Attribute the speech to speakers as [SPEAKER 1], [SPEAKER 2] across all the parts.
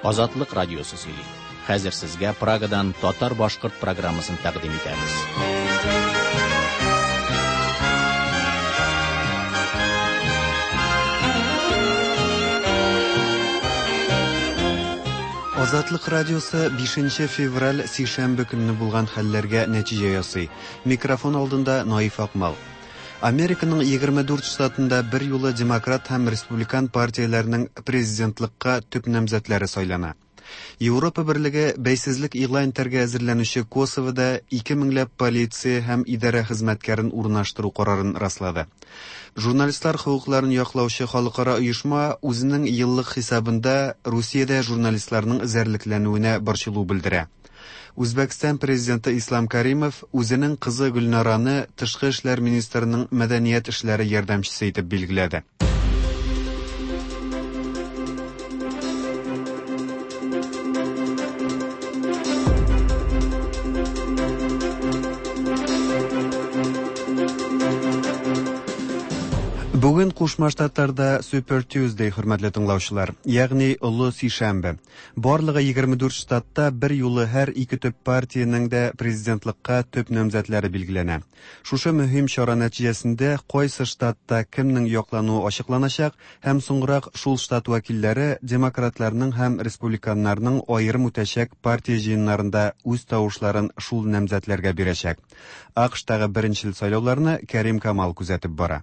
[SPEAKER 1] Азатлык радиосы сөйли. Хәзер сезгә Прагадан татар-башкорт программасын тәкъдим итәбез.
[SPEAKER 2] Азатлык радиосы 5 февраль сишәмбе көнне булган хәлләргә нәтиҗә ясый. Микрофон алдында Наиф Акмал. Американың 24 штатында бер юлы демократ һәм республикан партияләренең президентлыкка төп намзәтләре сайлана. Европа берлеге бәйсезлек игълан итәргә әзерләнүче Косовода 2 меңләп полиция һәм идарә хезмәткәрен урнаштыру карарын раслады. Журналистлар хокукларын яклаучы халыкара оешма үзенең еллык хисабында Русиядә журналистларның эзәрлекләнүенә борчылу белдерә. Үзбәкстан президенты Ислам Каримов үзенең кызы Гөлнараны тышкы эшләр министрының мәдәният эшләре ярдәмчесе итеп билгеләде. Бүген Кушма Штатларда Super Tuesday, хөрмәтле тыңлаучылар, ягъни Олы Сишәмбе. Барлыгы 24 штатта бер юлы һәр ике төп партиянең дә президентлыкка төп намзәтләре билгеләнә. Шушы мөһим чара нәтиҗәсендә кайсы штатта кемнең яклануы ачыкланачак һәм соңрак шул штат вәкилләре демократларның һәм республиканнарның аерым үтәчәк партия җыеннарында үз тавышларын шул намзәтләргә бирәчәк. АКШтагы беренчел сайлауларны Кәрим Камал күзәтеп бара.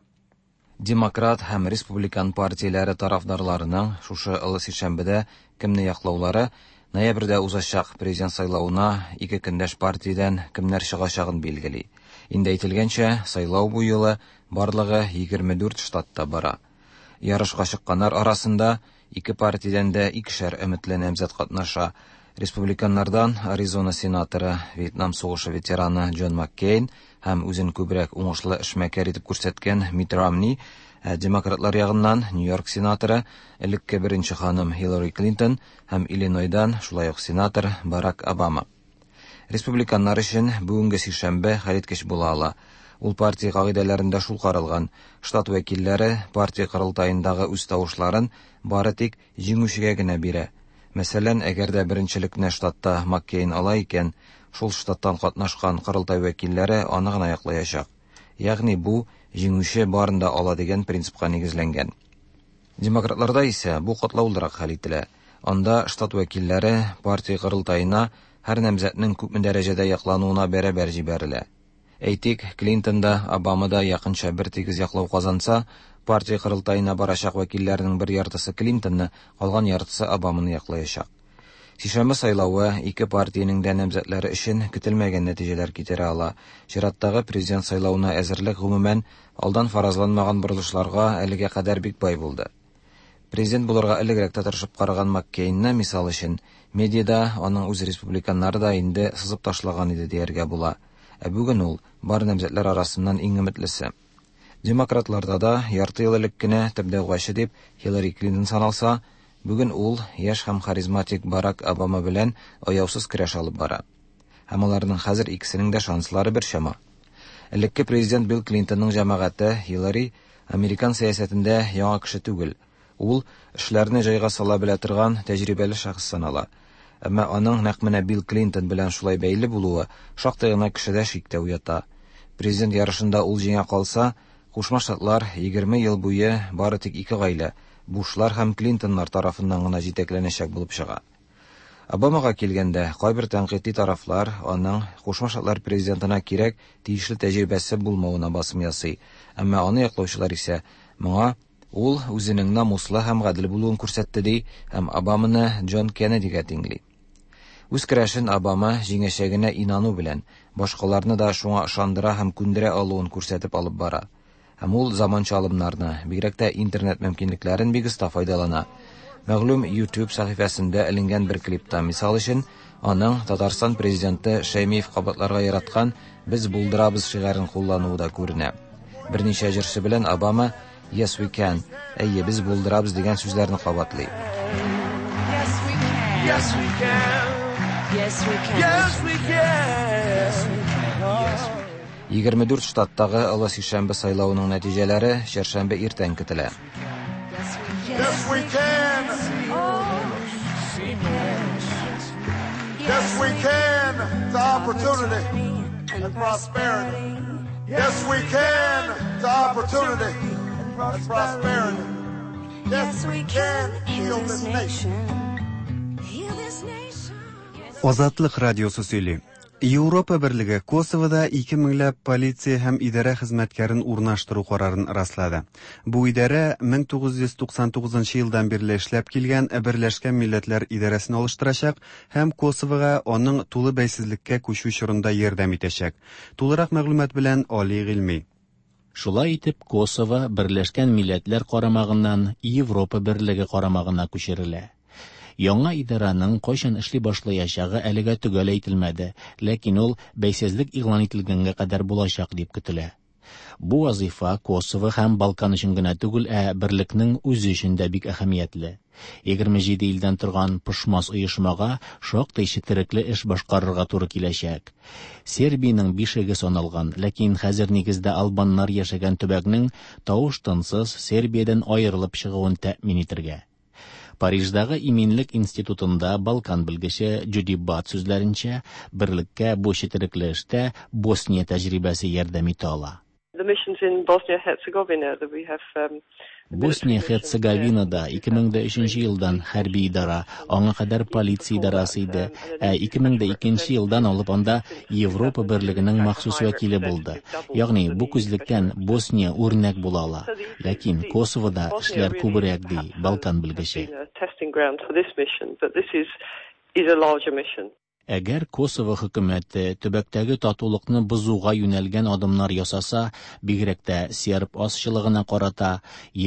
[SPEAKER 3] Демократ һәм республикан партияләре тарафдарларының шушы олы сишәмбедә кемне яклаулары ноябрьдә узачак президент сайлавына ике көндәш партиядән кемнәр чыгачагын билгели. Инде әйтелгәнчә, сайлау бу юлы барлыгы 24 штатта бара. Ярышка чыкканнар арасында ике партиядән дә икешәр өметле намзәт катнаша. Республиканнардан Аризона сенаторы, Вьетнам сугышы ветераны Джон Маккейн һәм үзен күбрәк уңышлы эшмәкәр итеп күрсәткән Митт Ромни, ә демократлар ягыннан Нью-Йорк сенаторы, элекке беренче ханым Хиллари Клинтон һәм Иллинойдан шулай ук сенатор Барак Обама. Республиканнар өчен бүгенге сишәмбе хәлиткеч була ала. Ул партия кагыйдәләрендә шул каралган. Штат вәкилләре партия корылтаендагы үз тавышларын бары тик җиңүчегә генә бирә. Мәсәлән, әгәр дә беренчелекне штатта Маккейн ала икән, шул штаттан катнашкан корылтай вәкилләре аны гына яклаячак. Ягъни бу җиңүче барын да ала дигән принципка нигезләнгән. Демократларда исә бу катлаулырак хәл ителә. Анда штат вәкилләре партия корылтаена һәр намзәтнең күпме дәрәҗәдә яклануына бәрабәр җибәрелә. Әйтик, Клинтон да, Обама да якынча бер тигез яклау казанса, партия корылтаена барачак вәкилләрнең бер яртысы Клинтонны, калган яртысы Обаманы яклаячак. Сишәмбе сайлавы ике партиянең дә намзәтләре өчен көтелмәгән нәтиҗәләр китерә ала. Чираттагы президент сайлавына әзерлек гомумән алдан фаразланмаган борылышларга әлегә кадәр бик бай булды. Президент булырга элегрәк тә тырышып караган Маккейнны, мисал өчен, медиада аның үз республиканнары да инде сызып ташлаган иде дияргә була. Ә бүген ул бар намзәтләр арасыннан иң өметлесе. Демократларда да ярты ел элек кенә төп дәгъвачы дип Хиллари Клинтон саналса, бүген ул яшь һәм харизматик Барак Обама белән аяусыз көрәш алып бара. Һәм аларның хәзер икесенең дә шанслары бер чама. Элекке президент Билл Клинтонның җәмәгате Хиллари американ сәясәтендә яңа кеше түгел. Ул эшләрне җайга сала белә торган тәҗрибәле шәхес санала. Әмма аның нәкъ менә Билл Клинтон белән шулай бәйле булуы шактый гына кешедә шик тә уята. Президент ярышында ул җиңә калса, Кушма Штатлар 20 ел буе бары тик ике гаилә, Бушлар һәм Клинтоннар тарафыннан гына җитәкләнәчәк булып чыга. Обамага килгәндә, кайбер тәнкыйтьли тарафлар аның Кушма Штатлар президентына кирәк тиешле тәҗрибәсе булмавына басым ясый. Әмма аны яклаучылар исә моңа ул үзенең намуслы һәм гадел булуын күрсәтте ди һәм Обаманы Джон Кеннедига тиңли. Үз көрәшен Обама җиңәчәгенә инану белән, башкаларны да шуңа ышандыра һәм күндерә алуын күрсәтеп алып бара. Һәм ул заманча алымнарны, бигрәк тә интернет мөмкинлекләрен бик оста файдалана. Мәгълүм YouTube сәхифәсендә эленгән бер клипта, мисал өчен, аның Татарстан президенты Шәймиев кабатларга яраткан «Без булдырабыз» шигарен куллануы да күренә. Берничә җырчы белән Обама «Yes we can», әйе, без булдырабыз дигән сүзләрне кабатлый.
[SPEAKER 4] Yes we can.
[SPEAKER 5] Yes we can.
[SPEAKER 4] Yes we can.
[SPEAKER 5] Yes we can.
[SPEAKER 3] 24 штаттагы Олы сишәмбе сайлавының нәтиҗәләре чәршәмбе иртән көтелә.
[SPEAKER 4] Yes we can.
[SPEAKER 5] Yes we can.
[SPEAKER 4] can.
[SPEAKER 5] Yes, we can to opportunity and prosperity. Yes, we can to opportunity and prosperity.
[SPEAKER 4] Yes, we can heal this nation. Heal this nation.
[SPEAKER 2] Азатлык радиосы сөйли. Европа берлеге Косовода 2 меңләп полиция һәм идарә хезмәткәрен урнаштыру карарын раслады. Бу идарә 1999 елдан бирле эшләп килгән Берләшкән Милләтләр идарәсен алыштырачак һәм Косовога аның тулы бәйсезлеккә күчү чорында ярдәм итәчәк. Тулырак мәгълүмат белән Али Гыйльми.
[SPEAKER 1] Шулай итеп, Косово Берләшкән Милләтләр карамагыннан Европа берлеге карамагына күчерелә. Яңа идараның кайчан эшли башлаячагы әлегә төгәл әйтелмәде, ләкин ул бәйсезлек игълан ителгәнгә кадәр булачак дип көтелә. Бу вазифа Косово һәм Балкан өчен генә түгел, ә берлекнең үзе өчен дә бик әһәмиятле. 27 илдән торган пошмас оешмага шактый четерекле эш башкарырга туры киләчәк. Сербиянең бишеге саналган, ләкин хәзер нигездә албаннар яшәгән төбәкнең тавыш-тынсыз Сербиядән аерылып чыгуын тәэмин итергә. Париждагы Иминлек институтында Балкан белгече Джуди Бат сүзләренчә, берлеккә бу четерекле эштә Босния тәҗрибәсе ярдәм итә ала.
[SPEAKER 6] The missions in Bosnia-Herzegovina that we have
[SPEAKER 1] Босния Херцеговинада 2003 елдан хәрби идара, аңа кадәр полиция идарасы иде, ә 2002 елдан алып анда Европа берлегенең махсус вәкиле булды. Ягъни бу күзлектән Босния үрнәк була ала. Ләкин Косовода эшләр күбрәк ди Балкан белгече.
[SPEAKER 6] testing ground for this mission, but this is is a larger mission.
[SPEAKER 1] Әгәр Косово хөкүмәте төбәктәге татулыкны бозуга юнәлгән адымнар ясаса, бигрәк тә серб азчылыгына карата,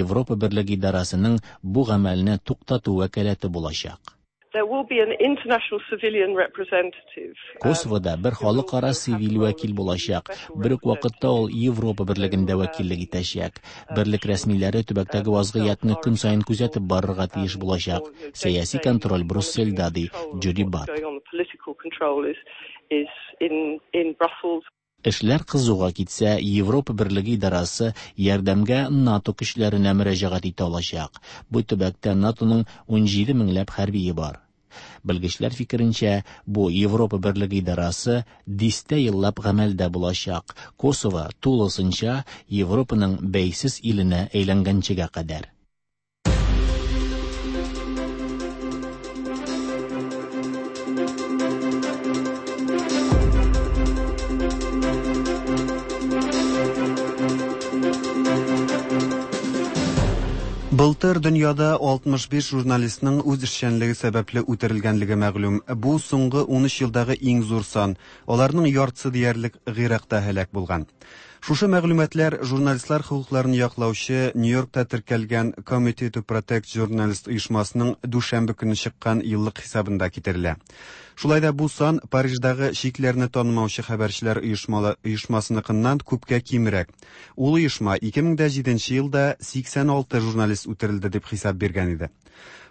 [SPEAKER 1] Европа берлеге идарәсенең бу гамәлне туктату вәкаләте булачак.
[SPEAKER 6] There will be an international civilian representative.
[SPEAKER 1] Косовода бер халыкара цивиль вәкил булачак. Бер үк вакытта ул Европа берлегендә вәкиллек итәчәк. Берлек рәсмиләре төбәктәге вазгыятьне көн саен күзәтеп барырга тиеш булачак. Сәяси контроль Брюссельдә, ди Джуди Бат.
[SPEAKER 6] Going on, the political control is is in in Brussels.
[SPEAKER 1] Эшләр кызуга китсә, Европа берлеге идарәсе ярдәмгә НАТО көчләренә мөрәҗәгать итә алачак. Бу төбәктә НАТОның 17 меңләп хәрбие бар. Белгечләр фикеренчә, бу Европа берлеге идарәсе дистә еллап гамәлдә булачак. Косово тулысынча Европаның бәйсез иленә әйләнгәнчегә кадәр.
[SPEAKER 2] Былтыр дөньяда 65 журналистның үз эшчәнлеге сәбәпле үтерелгәнлеге мәгълүм. Бу соңгы 13 елдагы иң зур сан. Аларның яртысы диярлек Гыйракта һәлак булган. Шушы мәгълүматлар журналистлар хокукларын яклаучы Нью-Йоркта теркәлгән Committee to Protect Journalists оешмасының дүшәмбе көне чыккан еллык хисабында китерелә. Шулай да бу сан Париждагы чикләрне танымаучы хәбәрчеләр оешмасыныкыннан күпкә кимрәк. Ул оешма 2007 елда 86 журналист үтерелде дип хисап биргән иде.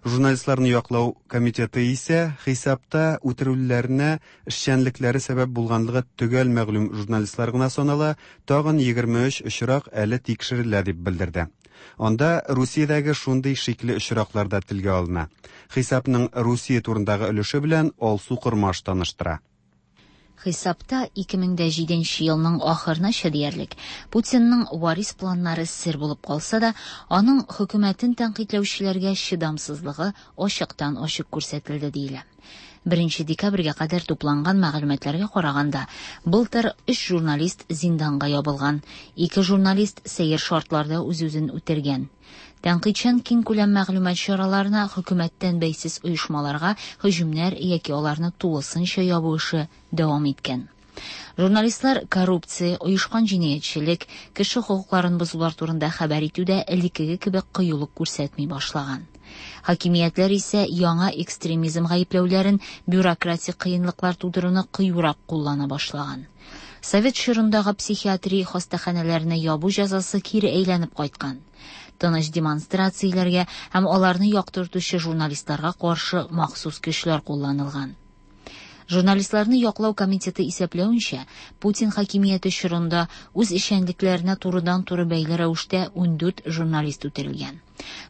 [SPEAKER 2] Журналистларны яклау комитеты исә хисапта үтерүләренә эшчәнлекләре сәбәп булганлыгы төгәл мәгълүм журналистлар гына санала, тагын 23 очрак әле тикшерелә дип белдерде. Анда Русиядәге шундый шикле очраклар да телгә алына. Хисапның Русия турындагы өлеше белән Алсу Кормаш таныштыра.
[SPEAKER 7] Хисапта 2007 елның ахырынача диярлек Путинның варис планнары сер булып калса да, аның хөкүмәтен тәнкыйтьләүчеләргә чыдамсызлыгы ачыктан ачык күрсәтелде диелә. 1 декабрьгә кадәр тупланган мәгълүматларга караганда, былтыр 3 журналист зинданга ябылган, 2 журналист сәер шартларда үз-үзен үтергән. Тәнкыйтьчән киңкүләм мәгълүмат чараларына хөкүмәттән бәйсез оешмаларга һөҗүмнәр яки аларны тулысынча ябу эше дәвам иткән. Журналистлар коррупция, оешкан җинаятьчелек, кеше хокукларын бозулар турында хәбәр итүдә элеккеге кебек кыюлык күрсәтми башлаган. Хакимиятләр исә яңа экстремизм гаепләүләрен бюрократик кыенлыклар тудыруны кыюрак куллана башлаган. Совет чорындагы психиатрия хастаханәләренә ябу җәзасы кире әйләнеп кайткан. Тыныч демонстрацияләргә һәм аларны яктыртучы журналистларга каршы махсус көчләр кулланылган. Журналистларны яклау комитеты исәпләвенчә, Путин хакимияте чорында үз эшчәнлекләренә турыдан-туры бәйле рәвештә 14 журналист үтерелгән.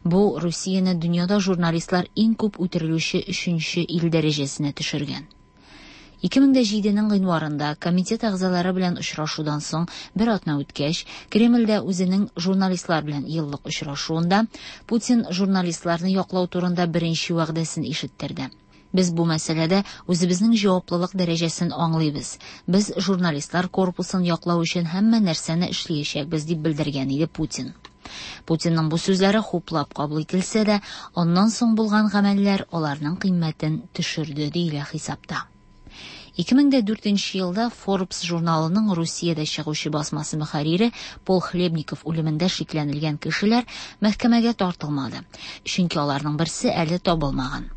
[SPEAKER 7] Бу Русияне дөньяда журналистлар иң күп үтерелүче өченче ил дәрәҗәсенә төшергән. 2007 нең гыйнварында комитет әгъзалары белән очрашудан соң бер атна үткәч, Кремльдә үзенең журналистлар белән еллык очрашуында Путин журналистларны яклау турында беренче вәгъдәсен ишеттерде. Без бу мәсьәләдә үзебезнең җаваплылык дәрәҗәсен аңлыйбыз. Без журналистлар корпусын яклау өчен һәммә нәрсәне эшләячәкбез, дип белдергән иде Путин. Путинның бу сүзләре хуплап кабул ителсә дә, аннан соң булган гамәлләр аларның кыйммәтен төшерде, диелә хисапта. 2004 елда Forbes журналының Русиядә чыгучы басмасы мөхәррире Пол Хлебников үлемендә шикләнелгән кешеләр мәхкәмәгә тартылмады, чөнки аларның берсе әле табылмаган.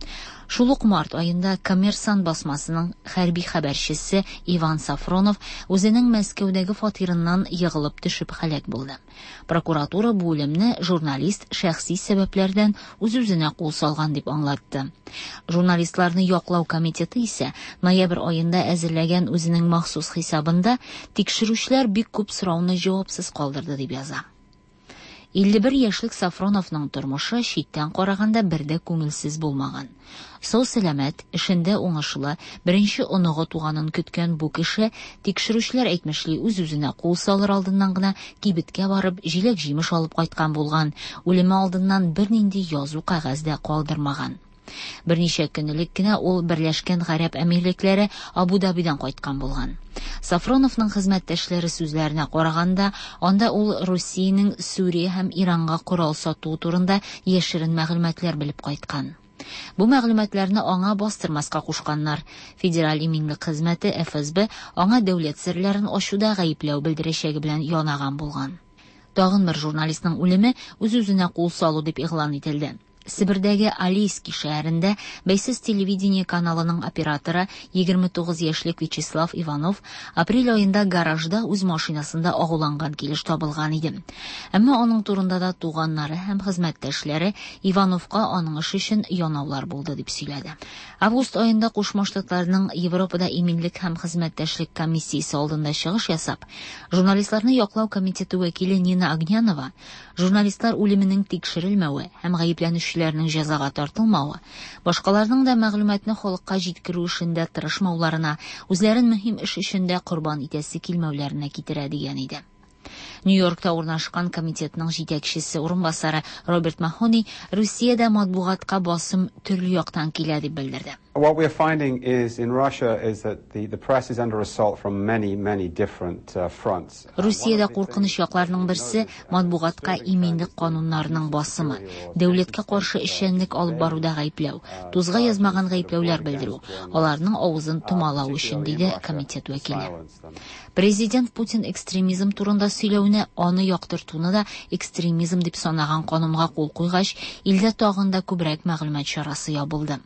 [SPEAKER 7] Шул ук март аенда Коммерсант басмасының хәрби хәбәрчесе Иван Сафронов үзенең Мәскәүдәге фатирыннан егылып төшеп һәлак булды. Прокуратура бу үлемне журналист шәхси сәбәпләрдән үз-үзенә кул салган дип аңлатты. Журналистларны яклау комитеты исә ноябрь аенда әзерләгән үзенең махсус хисабында тикшерүчеләр бик күп сорауны җавапсыз калдырды дип яза. 51 яшьлек Сафроновның тормышы читтән караганда бер дә күңелсез булмаган. Сау-сәламәт, эшендә уңышлы, беренче оныгы туганын көткән бу кеше, тикшерүчеләр әйтмешли, үз-үзенә кул салыр алдыннан гына кибеткә барып, җиләк-җимеш алып кайткан булган, үлеме алдыннан бернинди язу кәгазь дә калдырмаган. Берничә көн элек кенә ул Берләшкән Гарәп Әмирлекләре Абу-Дабидан кайткан булган. Сафроновның хезмәттәшләре сүзләренә караганда, анда ул Русиянең Сүрия һәм Иранга корал сатуы турында яшерен мәгълүматлар белеп кайткан. Бу мәгълүматларны аңа бастырмаска кушканнар. Федераль иминлек хезмәте ФСБ аңа дәүләт серләрен ачуда гаепләү белдерәчәге белән янаган булган. Тагын бер журналистның үлеме үз-үзенә кул салу дип игълан ителде. Себердәге Алейский шәһәрендә бәйсез телевидение каналының операторы 29 яшьлек Вячеслав Иванов апрель аенда гаражда үз машинасында агуланган килеш табылган иде. Әмма аның турында да туганнары һәм хезмәттәшләре Ивановка аның эше өчен янаулар булды дип сөйләде. Август аенда Кушма Штатларның Европада иминлек һәм хезмәттәшлек комиссиясе алдында чыгыш ясап, журналистларны яклау комитеты вәкиле Нина Огнянова журналистлар үлеменең тикшерелмәве һәм гаепләнүчеләрнең җәзага тартылмавы, башкаларның да мәгълүматны халыкка җиткерү эшендә тырышмауларына, үзләрен мөһим эш өчен дә корбан итәсе килмәүләренә китерә дигән иде. Нью-Йоркта урнашкан комитетның җитәкчесе урынбасары Роберт Махони Русиядә матбугатка басым төрле яктан килә дип белдерде.
[SPEAKER 8] What we are finding is in Russia is that the press is under assault from many, many different fronts.
[SPEAKER 7] Русиядә куркыныч якларның берсе матбугатка иминлек кануннарының басымы, дәүләткә каршы эшчәнлек алып баруда гаепләү, тузга язмаган гаепләүләр белдерү, аларның авызын томалау өчен, диде комитет вәкиле. Президент Путин экстремизм турында сөйләүне, аны яктыртуны да экстремизм дип санаган канунга кул куйгач, илдә тагын да күбрәк мәгълүмат чарасы ябылды.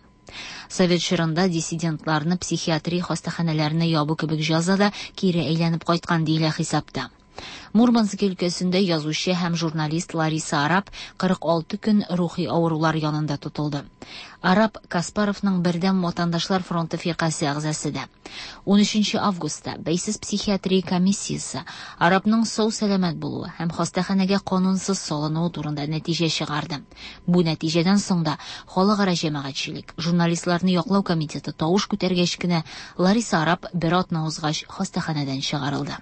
[SPEAKER 7] Совет чорында диссидентларны психиатрия хастаханәләренә ябу кебек җәза да кире әйләнеп кайткан диелә хисапта. Мурманск өлкәсендә язучы һәм журналист Лариса Арап 46 көн рухи авырулар янында тотылды. Арап Каспаровның Бердәм ватандашлар фронты фиркасе әгъзасы да. 13 августта бәйсез психиатрия комиссиясе Арапның сау-сәламәт булуы һәм хастаханәгә канунсыз салынуы турында нәтиҗә чыгарды. Бу нәтиҗәдән соң да халыкара җәмәгатьчелек, журналистларны яклау комитеты тавыш күтәргәч кенә Лариса Арап бер атна узгач хастаханәдән чыгарылды.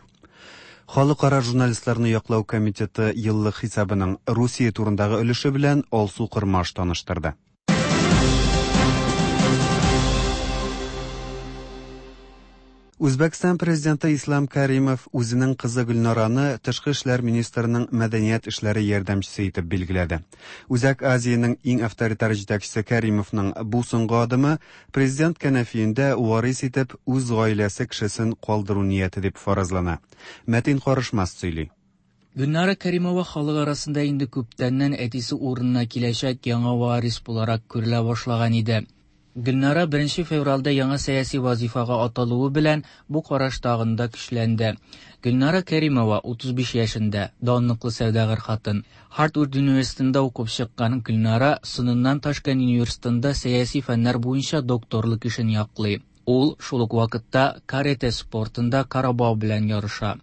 [SPEAKER 2] Халыкара журналистларны яклау комитеты еллык хисабының Русия турындагы өлеше белән Алсу Кырмаш таныштырды. Үзбәкстан президенты Ислам Каримов үзенең кызы Гөлнараны тышкы эшләр министрының мәдәният эшләре ярдәмчесе итеп билгеләде. Үзәк Азиянең иң авторитар җитәкчесе Каримовның бу соңгы адымы президент кәнәфиендә варис итеп үз гаиләсе кешесен калдыру нияте дип фаразлана. Мәтин Карышмас сөйли.
[SPEAKER 9] Гөлнара Каримова халык арасында инде күптәннән әтисе урынына киләчәк яңа варис буларак күрелә башлаган иде. Гөлнара 1 февральдә яңа сәяси вазифага аталуы белән бу караш тагын да көчләнде. Гөлнара Каримова 35 яшендә, данлыклы сәүдәгәр хатын. Хартвард университетында укып чыккан Гөлнара соңыннан Ташкент университетында сәяси фәннәр буенча докторлык эшен яклый. Ул шул ук вакытта каратэ спортында карабау белән ярыша.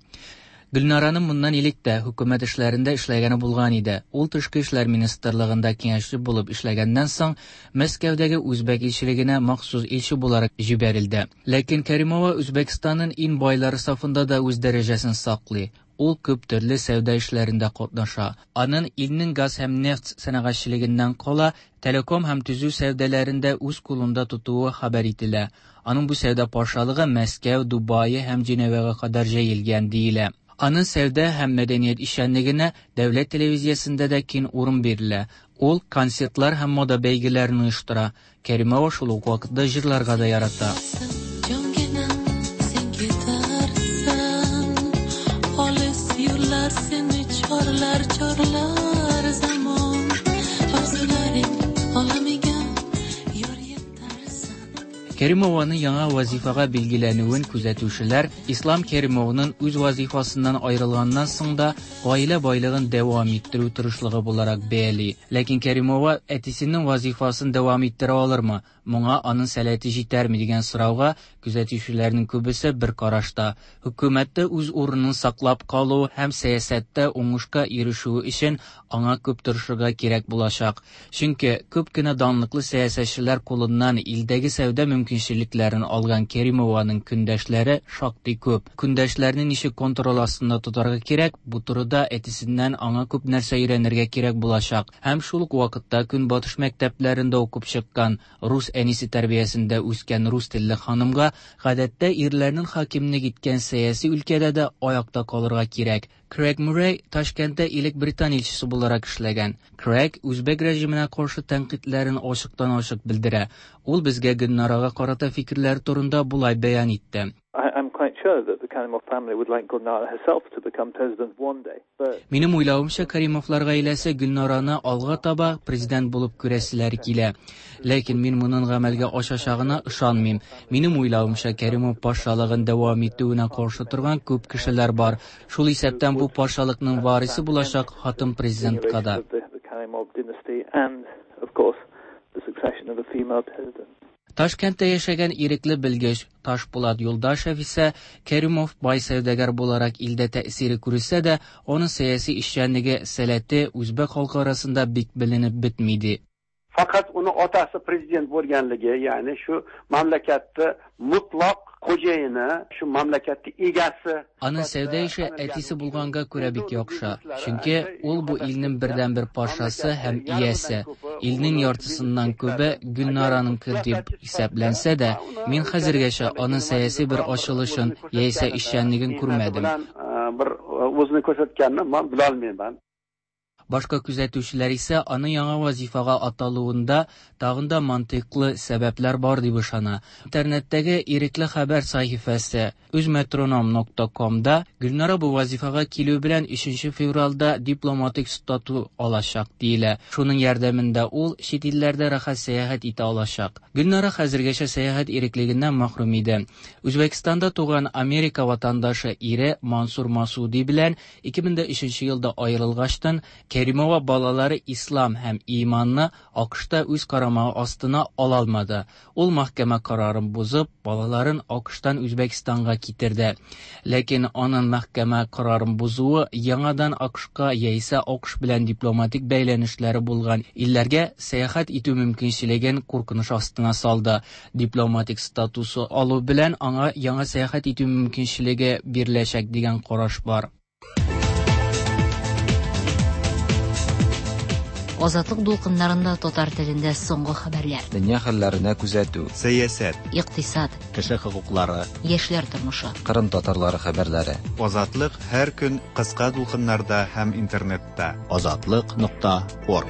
[SPEAKER 9] Гөлнараның моннан элек тә хөкүмәт эшләрендә эшләгәне булган иде. Ул тышкы эшләр министрлыгында киңәшче булып эшләгәннән соң, Мәскәүдәге үзбәк илчелегенә махсус илче буларак җибәрелде. Ләкин Кәримова Үзбәкстанның иң байлары сафында да үз дәрәҗәсен саклый. Ул күп төрле сәүдә эшләрендә катнаша. Аның илнең газ һәм нефть сәнәгатьчелегеннән кала, телеком һәм төзү сәүдәләрен дә үз кулында тотуы хәбәр ителә. Аның бу сәүдә патшалыгы Мәскәү, Дубае һәм Женевага кадәр җәелгән, диелә. Аның сәүдә һәм мәдәният эшчәнлегенә дәүләт телевизиясендә дә киң урын бирелә. Ул концертлар һәм мода бәйгеләрен оештыра. Кәримова шул ук вакытта җырларга да ярата.
[SPEAKER 10] Jongina sen ketarsan, olis yo'llar seni chorlar, chorlar zamon. Orzularing olamiga yor yetarsan.
[SPEAKER 9] Кәримованың яңа вазифага билгеләнүен күзәтүчеләр Ислам Кәримовның үз вазифасыннан аерылганнан соң да гаилә байлыгын дәвам иттерү тырышлыгы буларак бәяли. Ләкин Кәримова әтисенең вазифасын дәвам иттерә алырмы? Моңа аның сәләте җитәрме дигән сорауга күзәтүчеләрнең күбесе бер карашта. Хөкүмәттә үз урынын саклап калу һәм сәясәттә уңышка ирешү өчен аңа күп тырышырга кирәк булачак. Чөнки күп кенә данлыклы сәясәтчеләр кулыннан илдәге сәүдә мөмкинчелекләрен алган Кәримованың көндәшләре шактый күп. Көндәшләрне ничек контроль астында тотарга кирәк, бу турыда әтисеннән аңа күп нәрсә өйрәнергә кирәк булачак. Һәм шул ук вакытта Көнбатыш мәктәпләрендә укып чыккан, рус әнисе тәрбиясендә үскән рус телле ханымга гадәттә ирләрнең хакимлек иткән сәяси өлкәдә дә аякта калырга кирәк. Крэг Муррей Ташкентта элек Британ илчесе буларак эшләгән. Крэг үзбәк режимына каршы тәнкыйтьләрен ачыктан-ачык белдерә. Ул безгә Гөлнарага карата фикерләре турында болай бәян итте.
[SPEAKER 6] I'm quite sure that the Karimov family would like Gulnara herself to become president one day. But
[SPEAKER 9] Минем уйлавымча, Каримовлар гаиләсе Гөлнараны алга таба президент булып күрәселәре килә. Ләкин мин моның гамәлгә ашачагына ышанмыйм. Минем уйлавымча, Каримов патшалыгын дәвам итүенә каршы торган күп кешеләр бар. Шул исәптән бу патшалыкның варисы булачак хатын президентка да.
[SPEAKER 6] The Karimov dynasty and, of course, the succession of a female president.
[SPEAKER 9] Ташкентта яшәгән ирекле белгеч Ташпулат Юлдашев исә Кәримов бай сәүдәгәр буларак илдә тәэсире күрсә дә, аның сәяси эшчәнлеге сәләте үзбәк халкы арасында бик беленеп бетми ди.
[SPEAKER 11] Faqat uni otasi prezident bo'lganligi, ya'ni shu mamlakatni mutlaq xo'jayini, shu mamlakatni egasi.
[SPEAKER 9] Аның сәүдә эше әтисе булганга күрә бик яхшы. Чөнки ул бу илнең бердәнбер патшасы һәм иясе. Илнең яртысыннан күбе Гөлнараныкы дип исәпләнсә дә, мин хәзергәчә аның сәяси бер ачылышын яисә эшчәнлеген күрмәдем.
[SPEAKER 11] Бер үзен күрсәткәнне мин белә алмыйм.
[SPEAKER 9] Башка күзәтүчеләр исә аның яңа вазифага аталуында тагын да мантыйклы сәбәпләр бар дип ышана. Интернеттәге Ирекле хәбәр сәхифәсе үзметроном нокта комда Гөлнара бу вазифага килү белән 3 февральдә дипломатик стату алачак диелә. Шуның ярдәмендә ул чит илләрдә рәхәт сәяхәт итә алачак. Гөлнара хәзергәчә сәяхәт иреклегеннән мәхрүм иде. Үзбәкстанда туган Америка ватандашы ире Мансур Масуди белән 2003 елда аерылгачтан Кәримова балалары Ислам һәм Иманны АКШта үз карамагы астына ала алмады. Ул мәхкәмә карарын бозып, балаларын АКШтан Үзбәкстанга китерде. Ләкин аның мәхкәмә карарын бозуы яңадан АКШка яисә АКШ белән дипломатик бәйләнешләре булган илләргә сәяхәт итү мөмкинчелеген куркыныч астына салды. Дипломатик статусы алу белән аңа яңа сәяхәт итү мөмкинчелеге биреләчәк дигән караш бар.
[SPEAKER 7] Азатлык дулкыннарында татар телендә соңгы хәбәрләр.
[SPEAKER 3] Дөнья хәлләренә күзәтү.
[SPEAKER 2] Сәясәт.
[SPEAKER 7] Икътисад.
[SPEAKER 1] Кеше хокуклары.
[SPEAKER 7] Яшьләр тормышы.
[SPEAKER 3] Кырым татарлары хәбәрләре.
[SPEAKER 2] Азатлык һәр көн кыска дулкыннарда һәм интернетта.
[SPEAKER 1] Азатлык нокта орг.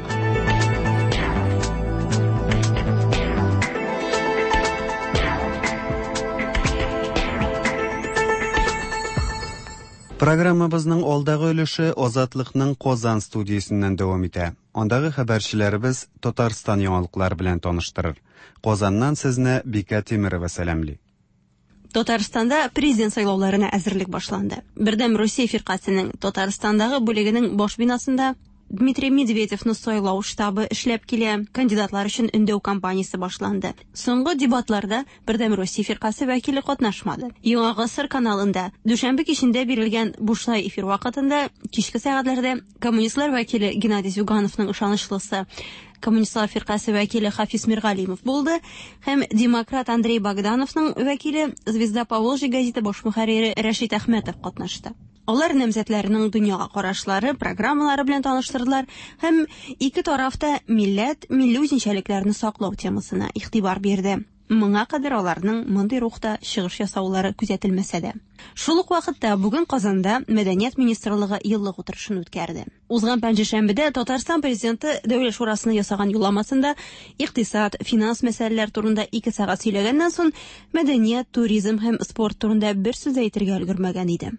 [SPEAKER 2] Программабызның алдагы өлеше Азатлыкның Казан студиясеннән дәвам итә. Андагы хәбәрчеләребез Татарстан яңалыклары белән таныштырыр. Казаннан сезне Бикә Тимирова сәламли.
[SPEAKER 12] Татарстанда президент сайлауларына әзерлек башланды. Бердәм Русия фиркасының Татарстандагы бүлегенең баш бинасында Дмитрий Медведевны сайлау штабы эшләп килә. Кандидатлар өчен өндәү кампаниясе башланды. Соңгы дебатларда Бердәм Россия фиркасе вәкиле катнашмады. Яңа гасыр каналында дүшәмбе кичендә бирелгән бушлай эфир вакытында кичке сәгатьләрдә коммунистлар вәкиле Геннадий Зюгановның ышанычлысы Коммунистлар фиркасе вәкиле Хафиз Миргалимов булды һәм демократ Андрей Богдановның вәкиле Звезда Поволжья газеты баш мөхәррире Рәшит Әхмәтов катнашты. Алар намзәтләренең дөньяга карашлары, программалары белән таныштырдылар һәм ике тараф та милләт, милли үзенчәлекләрне саклау темасына игътибар бирде. Моңа кадәр аларның мондый рухта чыгыш ясаулары күзәтелмәсә дә. Шул ук вакытта бүген Казанда Мәдәният министрлыгы еллык утырышын үткәрде. Узган пәнҗешәмбедә Татарстан президенты Дәүләт шурасына ясаган юлламасында икътисад, финанс мәсьәләләр турында 2 сәгать сөйләгәннән соң мәдәният, туризм һәм спорт турында бер сүз әйтергә өлгермәгән иде.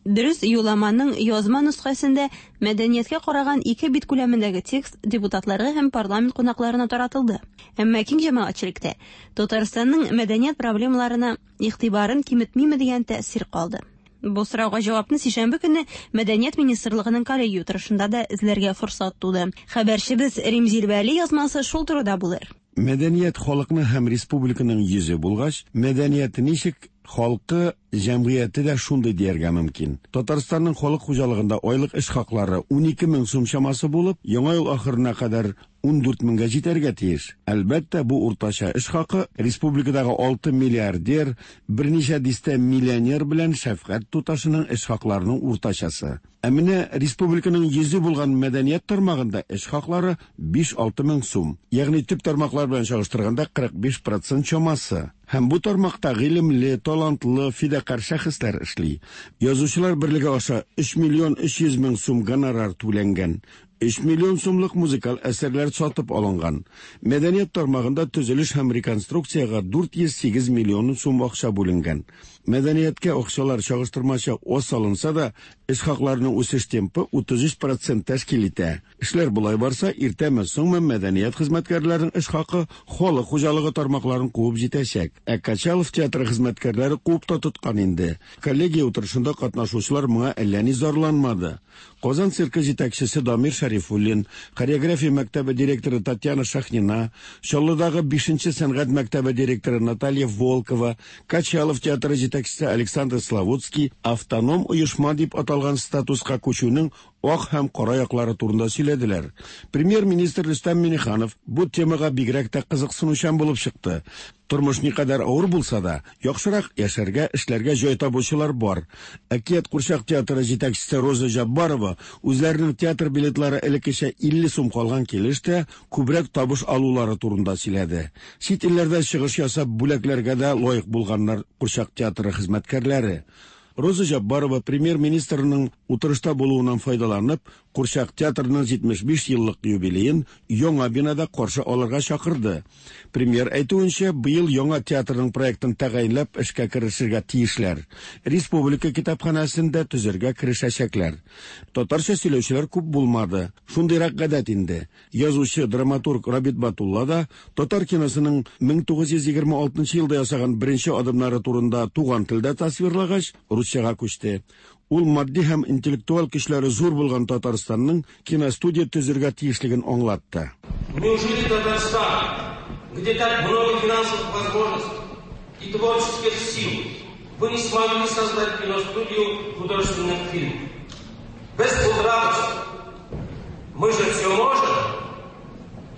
[SPEAKER 12] Дөрес, юлламаның язма нөсхәсендә мәдәнияткә караган 2 бит күләмендәге текст депутатларга һәм парламент кунакларына таратылды. Әмма киң җәмәгатьчелектә Татарстанның мәдәният проблемаларына игътибарын киметмиме дигән тәэсир калды. Бу сорауга җавапны сишәмбе көнне Мәдәният министрлыгының коллегия утырышында да эзләргә форсат туды. Хәбәрчебез Римзил Вәли язмасы шул турыда булыр.
[SPEAKER 13] Мәдәният халыкны һәм республиканың йөзе булгач, мәдәният ничек, халкы, җәмгыяте дә шундый дияргә мөмкин. Татарстанның халык хуҗалыгында айлык эш хаклары 12 мең сум чамасы булып, яңа ел ахырына кадәр 14 меңгә җитәргә тиеш. Әлбәттә, бу уртача эш хакы республикадагы 6 миллиардер, берничә дистә миллионер белән шәфкать туташының эш хакларының уртачасы. Ә менә республиканың йөзе булган мәдәният тармагында эш хаклары 5-6 мең сум. Ягъни төп тармаклар белән чагыштырганда 45% чамасы. Һәм бу тармакта гыйлемле, талантлы, фидакарь шәхесләр эшли. Язучылар берлеге аша 3 миллион 300 мең сум гонорар түләнгән. 3 миллион сумлык музыкаль әсәрләр сатып алынган. Мәдәният тармагында төзелеш һәм реконструкциягә 408 миллион сум акча бүленгән. Мәдәнияткә акчалар чагыштырмача аз салынса да, эш хакларының үсеш темпы 33% тәшкил итә. Эшләр болай барса, иртәме соңмы мәдәният хезмәткәрләренең эш хакы халык хуҗалыгы тармакларын куып җитәчәк. Ә Качалов театры хезмәткәрләре куып та тоткан инде. Коллегия утырышында катнашучылар моңа әллә ни зарланмады. Казан циркы җитәкчесе Дамир Шәрифуллин, хореография мәктәбе директоры Татьяна Шахнина, Чаллыдагы 5-нче сәнгать мәктәбе директоры Наталья Волкова, Качалов театры җитәкчесе Александр Славутский автоном оешма дип аталган статуска күчүнең ак һәм кара яклары турында сөйләделәр. Премьер-министр Рөстәм Миңнеханов бу темага бигрәк тә кызыксынучан булып чыкты. Тормыш никадәр авыр булса да, яхшырак яшәргә, эшләргә җай табучылар бар. Әкият курчак театры җитәкчесе Роза Җаббарова үзләренең театр билетлары элеккечә 50 сум калган килеш тә күбрәк табыш алулары турында сөйләде. Чит илләрдә чыгыш ясап бүләкләргә дә лаек булганнар курчак театры хезмәткәрләре. Роза Җаббарова премьер-министрның утырышта булуыннан файдаланып, Курчак театрының 75 еллык юбилеен яңа бинада каршы алырга чакырды. Премьер әйтүенчә, быел яңа театрның проектын тәгаенләп эшкә керешергә тиешләр. Республика китапханәсен дә төзергә керешәчәкләр. Татарча сөйләүчеләр күп булмады. Шундыйрак гадәт инде. Язучы, драматург Рабит Батулла да татар киносының 1926 елда ясаган беренче адымнары турында туган телдә тасвирлагач, русчага күчте. Ул матди һәм интеллектуаль көчләре зур булган Татарстанның киностудия төзергә тиешлеген аңлатты.
[SPEAKER 14] Неужели Татарстан, где так много финансовых возможностей и творческих сил, вы не смогли создать киностудию художественных фильмов? Без булдырабыз. Мы же все можем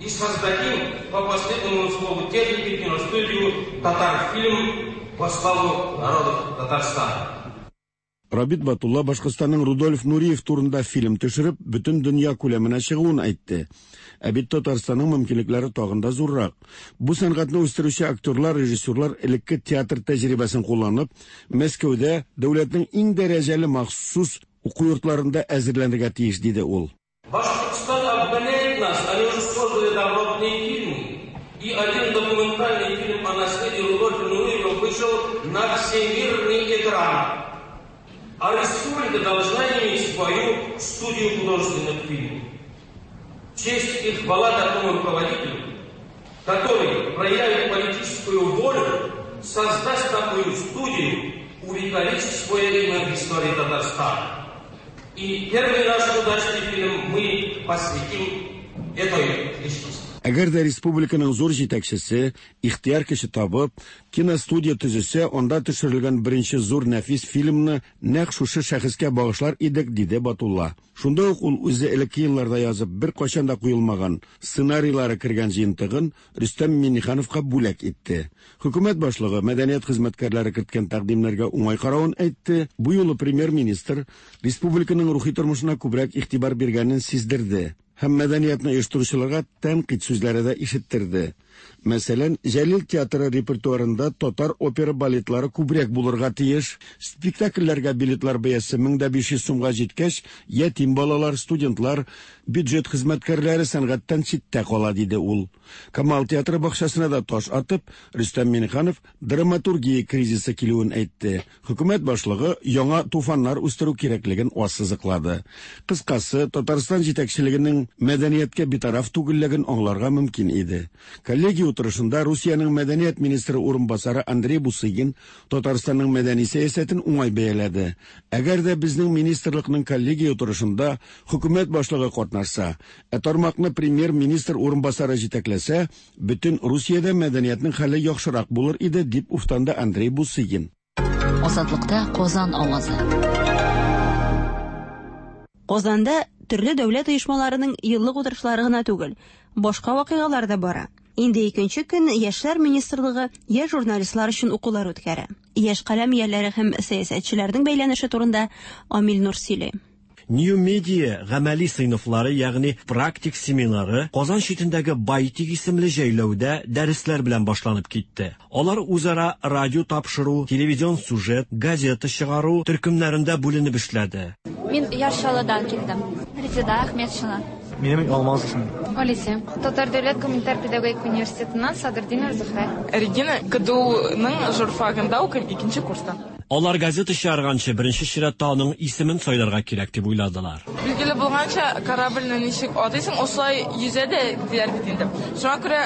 [SPEAKER 14] и создадим по последнему слову техники киностудию «Татарфильм» во славу народов Татарстана.
[SPEAKER 13] Рабит Батулла Башкортстанның Рудольф Нуриев турында фильм төшереп, бөтен дөнья күләменә чыгуын әйтте. Ә бит Татарстанның мөмкинлекләре тагын да зуррак. Бу сәнгатьне үстерүче актерлар, режиссерлар элекке театр тәҗрибәсен кулланып, Мәскәүдә дәүләтнең иң дәрәҗәле махсус уку йортларында әзерләнергә тиеш, диде ул.
[SPEAKER 14] Башкортостан обгоняет нас, они уже создали добротные фильмы. И один документальный фильм о наследии Рудольфа Нуриева вышел на всемирный экран. А республика должна иметь свою студию художественных фильмов. Честь и хвала такому руководителю, который проявит политическую волю, создаст такую студию, увековечит свое имя в истории Татарстана. И первый наш удачный фильм мы посвятим этой личности.
[SPEAKER 13] Әгәр дә республиканың зур җитәкчесе ихтыяр көче табып, киностудия төзесә, анда төшерелгән беренче зур нәфис фильмны нәкъ шушы шәхескә багышлар идек, диде Батулла. Шунда ук ул үзе элекке елларда язып, беркайчан да куелмаган сценарийлары кергән җыентыгын Рөстәм Миңнехановка бүләк итте. Хөкүмәт башлыгы мәдәният хезмәткәрләре керткән тәкъдимнәргә уңай каравын әйтте. Бу юлы премьер-министр республиканың рухи тормышына күбрәк игътибар биргәнен сиздерде һәм мәдәниятне оештыручыларга тәнкыйть сүзләре дә ишеттерде. Мәсәлән, Җәлил театры репертуарында татар опера балетлары күбрәк булырга тиеш. Спектакльләргә билетлар бәясе 1500 сумга җиткәч, ятим балалар, студентлар, бюджет хезмәткәрләре сәнгатьтән читтә кала, диде ул. Камал театры бакчасына да таш атып, Рөстәм Миңнеханов драматургия кризисы килүен әйтте. Хөкүмәт башлыгы яңа туфаннар үстерү кирәклеген ассызыклады. Кыскасы, Татарстан җитәкчелегенең мәдәнияткә битараф түгеллеген аңларга мөмкин иде. Коллегия утырышында Русиянең мәдәният министры урынбасары Андрей Бусыгин Татарстанның мәдәни сәясәтен уңай бәяләде. Әгәр дә безнең министрлыкның коллегия утырышында хөкүмәт башлыгы катнашса, ә тармакны премьер-министр урынбасары җитәкләсә, бөтен Русиядә мәдәниятнең хәле яхшырак булыр иде, дип уфтанды Андрей Бусыгин.
[SPEAKER 7] Азатлыкта Казан авазы.
[SPEAKER 12] Казанда төрле дәүләт оешмаларының еллык утырышлары гына түгел, башка вакыйгалар да бара. Инде икенче көн Яшьләр министрлыгы яшь журналистлар өчен укулар үткәрә. Яшь каләм ияләре һәм сәясәтчеләрнең бәйләнеше турында Амил Нур сөйли.
[SPEAKER 15] New Media гамәли сыйныфлары, ягъни практик семинары Казан читендәге Байтик исемле җәйләүдә дәресләр белән башланып китте. Алар үзара радио тапшыру, телевизион сюжет, газета чыгару төркемнәрендә бүленеп эшләде.
[SPEAKER 16] Мин Яр Чаллыдан килдем. Резеда Әхмәтшина.
[SPEAKER 17] Минем Алмаз исемем.
[SPEAKER 16] Олеся. Татар дәүләт гуманитар педагогик университетыннан Садырдинова Зөһрә.
[SPEAKER 18] Регина, КДУның журфагында укыйм, икенче курста.
[SPEAKER 15] Алар газета чыгарганчы беренче чиратта аның исемен сайларга кирәк дип уйладылар.
[SPEAKER 18] Билгеле булганча, корабльне ничек атыйсың, осылай йөзә дә диләр бит инде. Шуңа күрә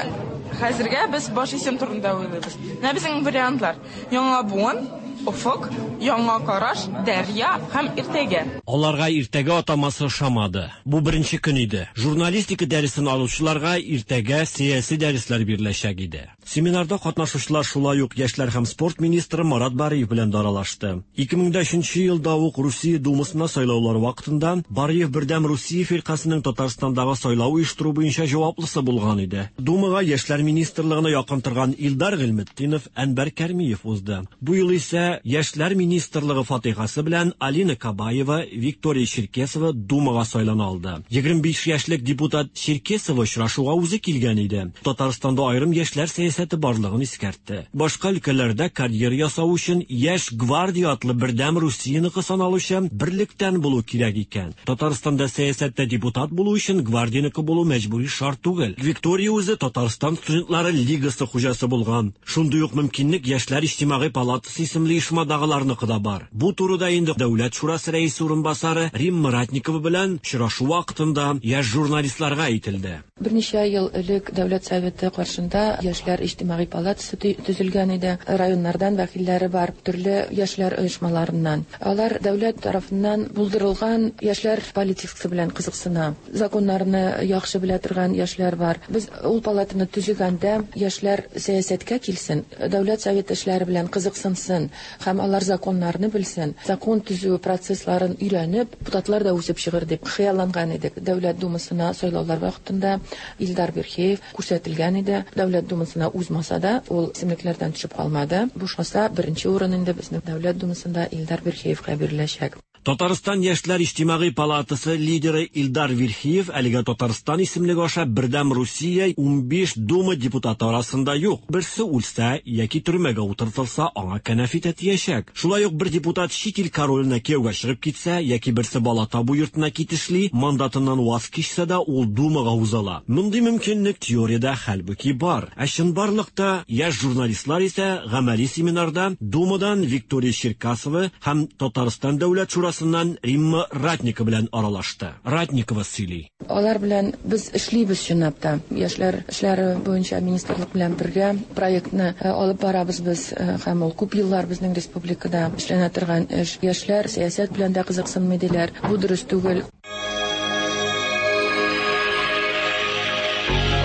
[SPEAKER 18] хәзергә без баш исем турында уйлыйбыз. Менә безнең вариантлар. Яңа буын, Офык, Яңа караш, Дәрья һәм Иртәгә.
[SPEAKER 15] Аларга Иртәгә атамасы ошамады. Бу беренче көн иде. Журналистика дәресен алучыларга иртәгә сәяси дәресләр биреләчәк иде. Семинарда катнашучылар шулай ук яшьләр һәм спорт министры Марат Бариев белән дә аралашты. 2003 елда ук Русия Думасына сайлаулар вакытында Бариев Бердәм Русия фиркасының Татарстандагы сайлау оештыру буенча җаваплысы булган иде. Думага яшьләр министрлыгына якын торган Илдар Гыйльметдинов, Әнвәр Кәрмиев узды. Бу юлы исә яшьләр министрлыгы фатихасы белән Алина Кабаева, Виктория Черкесова Думага сайлана алды. 25 яшьлек депутат Черкесова очрашуга үзе килгән иде. Татарстанда аерым яшьләр сәясәте барлыгын искәртте. Башка өлкәләрдә карьера ясау өчен Яшь гвардия атлы бердәм Русияныкы саналучы берлектән булу кирәк икән. Татарстанда сәясәттә депутат булу өчен гвардияныкы булу мәҗбүри шарт түгел. Виктория үзе Татарстан студентлары лигасы хуҗасы булган. Шундый ук мөмкинлек Яшьләр иҗтимагый палатасы исемле оешмадагыларныкы да бар. Бу турыда инде Дәүләт шурасы рәисе урынбасары Римма Ратникова белән очрашу вакытында яшь журналистларга әйтелде.
[SPEAKER 19] Берничә ел элек Дәүләт Советы каршында Яшьләр иҗтимагый палатасы төзелгән иде. Районнардан вәкилләре бар, төрле яшьләр оешмаларыннан. Алар дәүләт тарафыннан булдырылган яшьләр политикасы белән кызыксына. Законнарны яхшы белә торган яшьләр бар. Без ул палатаны төзегәндә яшьләр сәясәткә килсен, Дәүләт Советы эшләре белән кызыксынсын һәм алар законнарны белсен, закон төзү процессларын өйрәнеп, депутатлар да үсеп чыгыр дип хыялланган идек. Дәүләт Думасына сайлаулар вакытында Илдар Верхеев күрсәтелгән иде. Дәүләт Думасына узмаса да, ул исемлекләрдән төшеп калмады. Бушмаса, беренче урын инде безнең Дәүләт Думасында Илдар Верхеевка биреләчәк.
[SPEAKER 15] Татарстан яшьләр иҗтимагый палатасы лидеры Илдар Верхиев әлегә Татарстан исемлеге аша Бердәм Русия 15 Дума депутаты арасында юк. Берсе үлсә яки төрмәгә утыртылса, аңа кәнәфи тәтиячәк. Шулай ук бер депутат чит ил короленә кияүгә чыгып китсә яки берсе бала табу йортына китешли, мандатыннан ваз кичсә дә, ул Думага узала. Мондый мөмкинлек теориядә хәлбуки бар. Ә чынбарлыкта яшь журналистлар исә гамәли семинарда Думадан Виктория Черкасова һәм Татарстан Дәүләт шурасы студиясеннән Римма Ратникова белән аралашты. Ратникова сөйли.
[SPEAKER 19] Алар белән без эшлибез чынлап та. Яшьләр эшләре буенча министрлык белән бергә проектны алып барабыз без һәм ул күп еллар безнең республикада эшләнә торган эш. Яшьләр сәясәт белән дә кызыксынмый диләр. Бу дөрес түгел.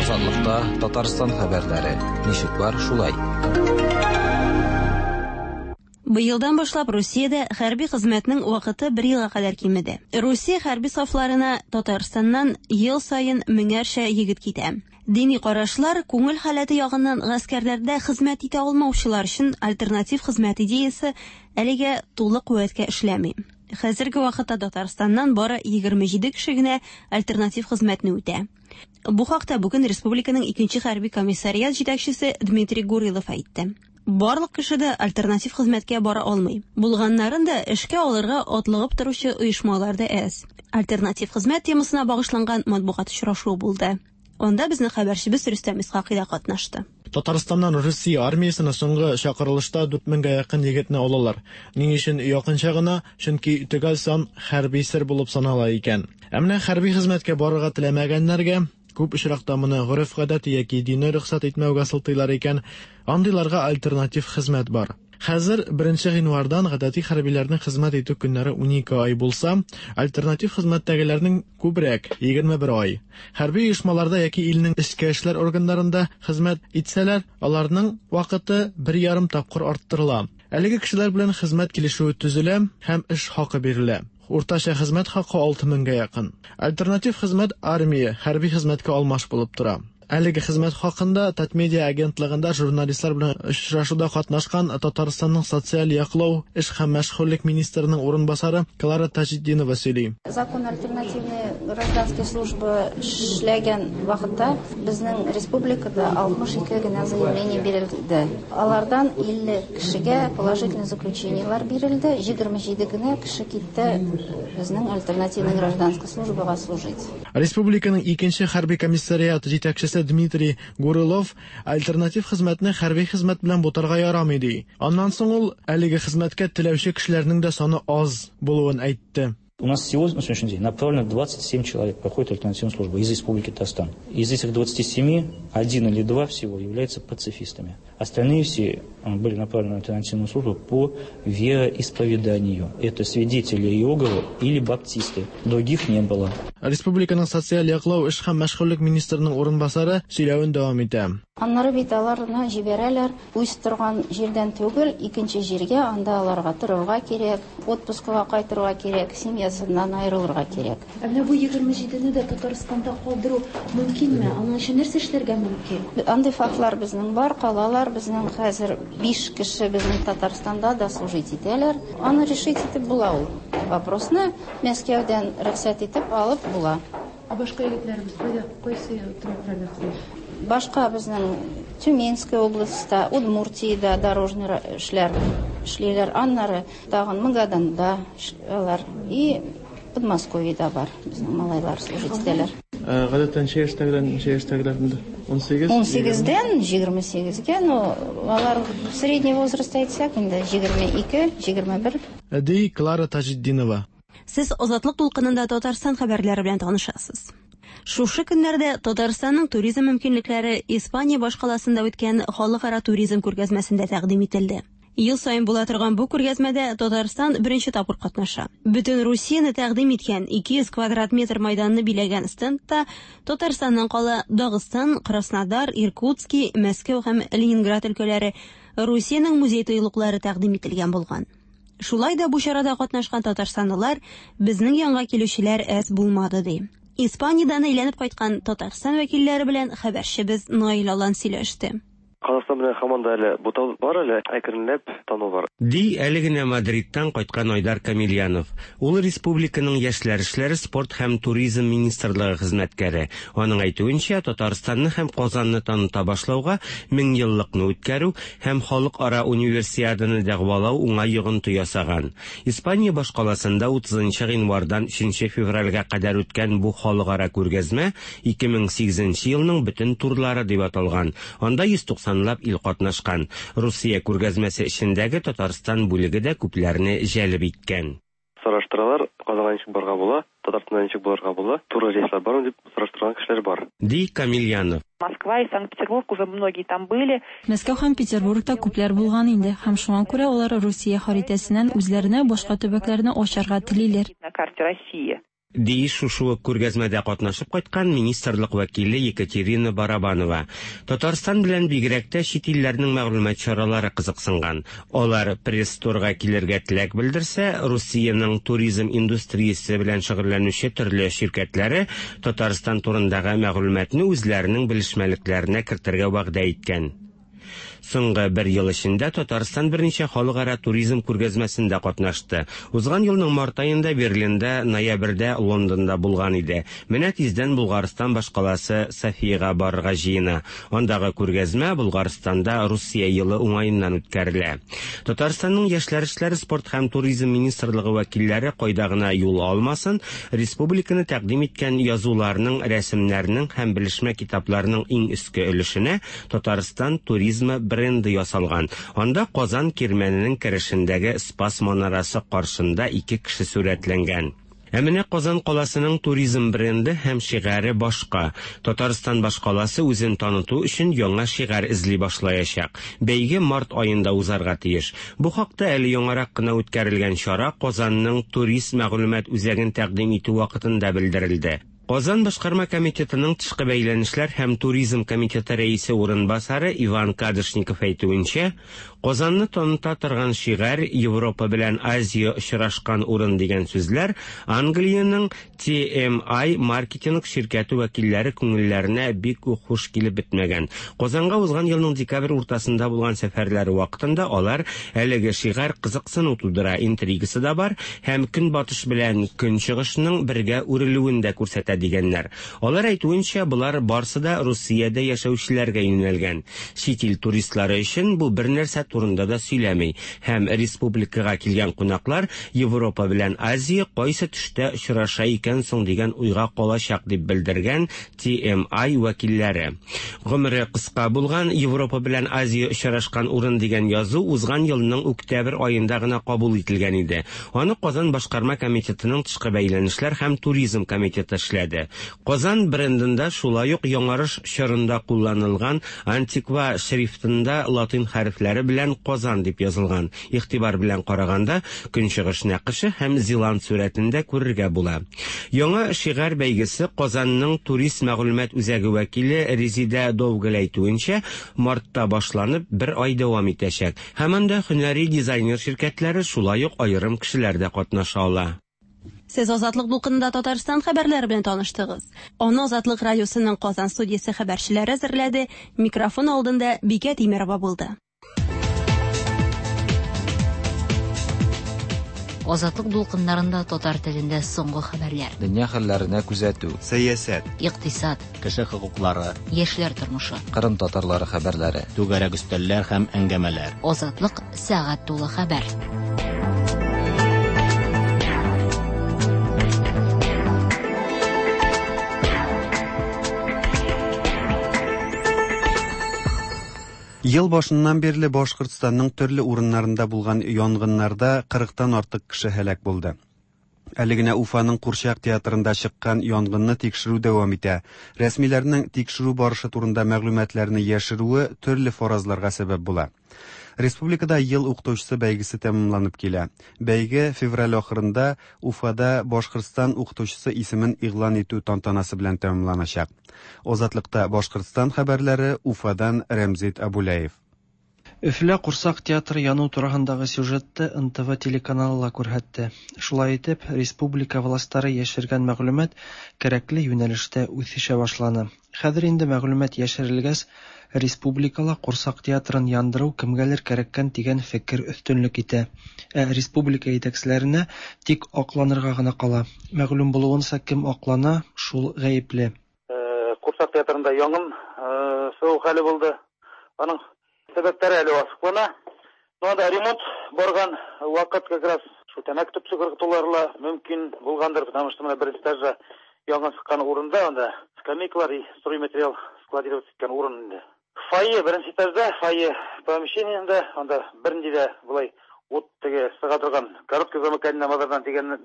[SPEAKER 3] Азатлыкта Татарстан хәбәрләре. Ничек бар, шулай.
[SPEAKER 12] Быелдан башлап Русиядә хәрби хезмәтнең вакыты бер елга кадәр кимеде. Русия хәрби сафларына Татарстаннан ел саен меңәрчә егет китә. Дини карашлар, күңел халәте ягыннан гаскәрләрдә хезмәт итә алмаучылар өчен альтернатив хезмәт идеясе әлегә тулы куәткә эшләми. Хәзерге вакытта Татарстаннан бары 27 кеше генә альтернатив хезмәтне үтә. Бу хакта бүген республиканың икенче хәрби комиссариат җитәкчесе Дмитрий Гурилов әйтте. Барлык кеше дә альтернатив хезмәткә бара алмый. Булганнарын да эшкә алырга атлыгып торучы оешмалар да әз. Альтернатив хезмәт темасына багышланган матбугат очрашуы булды. Анда безнең хәбәрчебез Рөстәм Исхакый да катнашты.
[SPEAKER 17] Татарстаннан Русия армиясенә соңгы чакырылышта 4000гә якын егетне алалар. Ни өчен якынча гына? Чөнки төгәл сан хәрби сер булып санала икән. Ә менә хәрби хезмәткә барырга теләмәгәннәргә күп очракта моны гореф-гадәт яки дине рөхсәт итмәүгә сылтыйлар икән, андыйларга альтернатив хезмәт бар. Хәзер 1 гыйнвардан гадәти хәрбиләрнең хезмәт итү көннәре 12 ай булса, альтернатив хезмәттәгеләрнең күбрәк, 21 ай. Хәрби оешмаларда яки илнең эчке эшләр органнарында хезмәт итсәләр, аларның вакыты 1,5 тапкыр арттырыла. Әлеге кешеләр белән хезмәт килешүе төзелә һәм эш хакы бирелә. Уртача хезмәт хакы 6000гә якын. Альтернатив хезмәт армия, хәрби хезмәткә алмаш булып тора. Әлеге хезмәт хакында Татмедиа агентлыгында журналистлар белән очрашуда катнашкан Татарстанның социаль яклау, эш һәм мәшгульлек министрының урынбасары Клара Таҗетдинова сөйли.
[SPEAKER 20] Закон альтернативной гражданской службы эшләгән вакытта безнең республикада 62 генә заявление бирелде. Алардан 50 кешегә положительный заключениелар бирелде, 27 генә кеше китте безнең альтернативный гражданской службага служить.
[SPEAKER 17] Республиканың икенче хәрби комиссариат җитәкчесе Дмитрий Гурылов альтернатив хезмәтне хәрби хезмәт белән бутарга ярамый ди. Аннан соң ул әлеге хезмәткә теләүче кешеләрнең дә саны аз булуын әйтте.
[SPEAKER 21] У нас всего на сегодняшний день направлено 27 человек проходит альтернативную службу из Республики Татарстан. Из этих 27 один или два всего являются пацифистами. Остальные все были направлены на альтернативную службу по вероисповеданию. Это свидетели Иеговы или баптисты. Других не было.
[SPEAKER 17] Республиканың социаль яклау, эш һәм мәшгульлек министрының урынбасары сөйләвен дәвам итә.
[SPEAKER 20] Аннары бит аларны җибәрәләр үз торган җирдән түгел, икенче җиргә, анда аларга торырга кирәк, отпускыга кайтырга кирәк, семьясыннан аерылырга кирәк.
[SPEAKER 22] Ә менә бу 27-не дә Татарстанда калдыру мөмкинме? Аның өчен нәрсә эшләргә мөмкин?
[SPEAKER 20] Андый фактлар безнең бар, калалар. Безнең хәзер 5 кеше безнең Татарстанда да служить итәләр. Аны решить итеп була ул вопросны. Мәскәүдән рөхсәт итеп алып була.
[SPEAKER 22] Ә башка егетләребез кайда, кайсы төбәкләрдә хезмәт?
[SPEAKER 20] Башка безнең Тюменская областьта, Удмуртиядә дорожный эшләр эшлиләр. Аннары тагын Магаданда алар и Подмосковьеда бар. Безнең малайлар служить итәләр.
[SPEAKER 17] Гадәттә ничә яшьтәгеләр, ничә яшьтәгеләр инде? 18?
[SPEAKER 20] 18-дән 28-гә, но алар средний возраст әйтсәк инде 22, 21.
[SPEAKER 17] Ди Клара Таҗетдинова.
[SPEAKER 12] Сез Азатлык дулкынында Татарстан хәбәрләре белән танышасыз. Шушы көннәрдә Татарстанның туризм мөмкинлекләре Испания башкаласында үткән халыкара туризм күргәзмәсендә тәкъдим ителде. Ел саен була торган бу күргәзмәдә Татарстан беренче тапкыр катнаша. Бөтен Русияне тәкъдим иткән 200 квадрат метр майданны биләгән стендта Татарстаннан кала Дагыстан, Краснодар, Иркутский, Мәскәү һәм Ленинград өлкәләре Русиянең музей тыюлыклары тәкъдим ителгән булган. Шулай да бу чарада катнашкан татарстанлылар безнең янга килүчеләр әз булмады ди. Испаниядән әйләнеп кайткан Татарстан вәкилләре белән хәбәрчебез Наил Алан сөйләште.
[SPEAKER 23] Казахстан белән һаман да әле бутау бар әле, әкренләп тану бар.
[SPEAKER 24] Ди әле генә Мадридтан кайткан Айдар Камильянов. Ул республиканың яшьләр эшләре, спорт һәм туризм министрлыгы хезмәткәре. Аның әйтүенчә, Татарстанны һәм Казанны таныта башлауга меңьеллыкны үткәрү һәм халыкара универсиаданы дәгъвалау уңай йогынты ясаган. Испания башкаласында 30 нчы гыйнвардан 3 нче февральгә кадәр үткән бу халыкара күргәзмә 2008 нче елның бөтен турлары дип аталган. Анда 190 лап ил катнашкан. Русия күргәзмәсе эчендәге Татарстан бүлеге дә күпләрне җәлеп иткән.
[SPEAKER 23] Сорашты. Сораштыралар, Казанга ничек барырга була, Татарстанда ничек булырга була, туры рейслар бармы дип сораштырган кешеләр бар.
[SPEAKER 24] Ди Камил Янов.
[SPEAKER 4] Москва и Санкт-Петербург уже многие там были.
[SPEAKER 5] Мәскәү һәм Петербургта күпләр булган инде һәм шуңа күрә алар Русия харитәсеннән үзләренә башка төбәкләрне ачарга телиләр.
[SPEAKER 4] На карте России.
[SPEAKER 24] Ди шушы ук күргәзмәдә катнашып кайткан министрлык вәкиле Екатерина Барабанова. Татарстан белән бигрәк тә чит илләрнең мәгълүмат чаралары кызыксынган. Алар пресс-турга килергә теләк белдерсә, Русиянең туризм индустриясе белән шөгыльләнүче төрле ширкәтләре Татарстан турындагы мәгълүматны үзләренең белешмәлекләренә кертергә вәгъдә иткән. Соңгы бер ел эчендә Татарстан берничә халыкара туризм күргәзмәсендә катнашты. Узган елның март аенда Берлинда, ноябрьдә Лондонда булган иде. Менә тиздән Булгарстан башкаласы Софиягә барырга җыена. Андагы күргәзмә Булгарстанда Русия елы уңаеннан үткәрелә. Татарстанның яшьләр эшләре, спорт һәм туризм министрлыгы вәкилләре кайда гына юл алмасын, республиканы тәкъдим иткән язуларның, рәсемнәрнең һәм белешмә китапларның иң өске өлешенә Татарстан туризмы бренды ясалган. Анда Казан кирмәненең керешендәге Спас манарасы каршында ике кеше сурәтләнгән. Ә менә Казан каласының туризм бренды һәм шигаре башка. Татарстан башкаласы үзен таныту өчен яңа шигарь эзли башлаячак. Бәйге март аенда узарга тиеш. Бу хакта әле яңарак кына үткәрелгән чара Казанның турист мәгълүмат үзәген тәкъдим итү вакытында белдерелде. Казан башкарма комитетының тышкы бәйләнешләр һәм туризм комитеты рәисе урынбасары Иван Кадышников әйтүенчә, Казанны таныта торган шигарь Европа белән Азия очрашкан урын дигән сүзләр Англиянең TMI маркетинг ширкәте вәкилләре күңелләренә бик үк хуш килеп бетмәгән. Казанга узган елның декабрь уртасында булган сәфәрләре вакытында алар әлеге шигарь кызыксыну тудыра, интригасы да бар һәм көнбатыш белән көнчыгышның бергә үрелүен дә күрсәтә дигәннәр. Алар әйтүенчә, болар барсы да Русиядә яшәүчеләргә юнәлгән. Чит ил туристлары өчен бу бер нәрсә турында да сөйләми һәм республикага килгән кунаклар Европа белән Азия кайсы төштә очраша икән соң дигән уйга калачак дип белдергән TMI вәкилләре. Гомере кыска булган Европа белән Азия очрашкан урын дигән язу узган елның октябрь аенда гына кабул ителгән иде. Аны Казан башкарма комитетының тышкы бәйләнешләр һәм туризм комитеты эшләде. Казан брендында шулай ук яңарыш чорында кулланылган антиква шрифтында латин хәрефләре белән Казан дип язылган. Игътибар белән караганда, көнчыгыш нәкыше һәм Зилант сурәтендә күрергә була. Яңа шигарь бәйгесе Казанның турист мәгълүмат үзәге вәкиле Резидә Довгел әйтүенчә, мартта башланып, бер ай дәвам итәчәк. Һәм анда һөнәри дизайнер ширкәтләре, шулай ук аерым кешеләр дә катнаша ала.
[SPEAKER 12] Сез Азатлык дулкынында Татарстан хәбәрләре белән таныштыгыз. Аны Азатлык радиосының Казан студиясе хәбәрчеләре әзерләде. Микрофон алдында Бикә Тимерова булды.
[SPEAKER 7] Азатлык дулкыннарында татар телендә соңгы хәбәрләр.
[SPEAKER 3] Дөнья хәлләренә күзәтү.
[SPEAKER 2] Сәясәт.
[SPEAKER 7] Икътисад.
[SPEAKER 1] Кеше хокуклары.
[SPEAKER 7] Яшьләр тормышы.
[SPEAKER 3] Кырым татарлары хәбәрләре.
[SPEAKER 1] Түгәрәк өстәлләр һәм әңгәмәләр.
[SPEAKER 7] Азатлык сәгать тулы хәбәр.
[SPEAKER 2] Ел башыннан бирле Башкортстанның төрле урыннарында булган янгыннарда 40-тан артык кеше һәлак булды. Әле генә Уфаның Курчак театрында чыккан янгынны тикшерү дәвам итә. Рәсмиләрнең тикшерү барышы турында мәгълүматларны яшерүе төрле фаразларга сәбәп була. Республикада ел укытучысы бәйгесе тәмамланып килә. Бәйге февраль ахырында Уфада Башкортстан укытучысы исемен игълан итү тантанасы белән тәмамланачак. Азатлыкта Башкортстан хәбәрләре Уфадан Рәмзит Абуляев.
[SPEAKER 8] Өфөлә курсак театры яну тураһындагы сюжетты НТВ телеканалы ла күрһәтте. Шулай итеп, республика властары яшергән мәгълүмат кәрәкле юнәлештә үҫешә башланы. Хәҙер инде мәгълүмат йәшерелгәс, республикала курсак театрын яндырыу кемгәлер кәрәккән тигән фекер өҫтөнлөк итә. Ә республика етәкселәренә тик аҡланырға ғына ҡала. Мәғлүм булыуынса, кем аҡлана, шул ғәйепле.
[SPEAKER 10] Курсак театрында янгын сығыу хәле булды. Аның сәбәптәре әле асыҡлана. Анда ремонт барған ваҡыт как раз шул тәмәке төпсө ырғытыулары ла мөмкин булғандыр, потому что мына беренсе этажда янгын сыҡҡан урында анда скамейкалар и стройматериал складировать иткән урын инде. Фойе беренсе этажда, фойе помещениендә, анда бернинди дә былай Ут теге чыга торган короткое замыкание мазардан дигән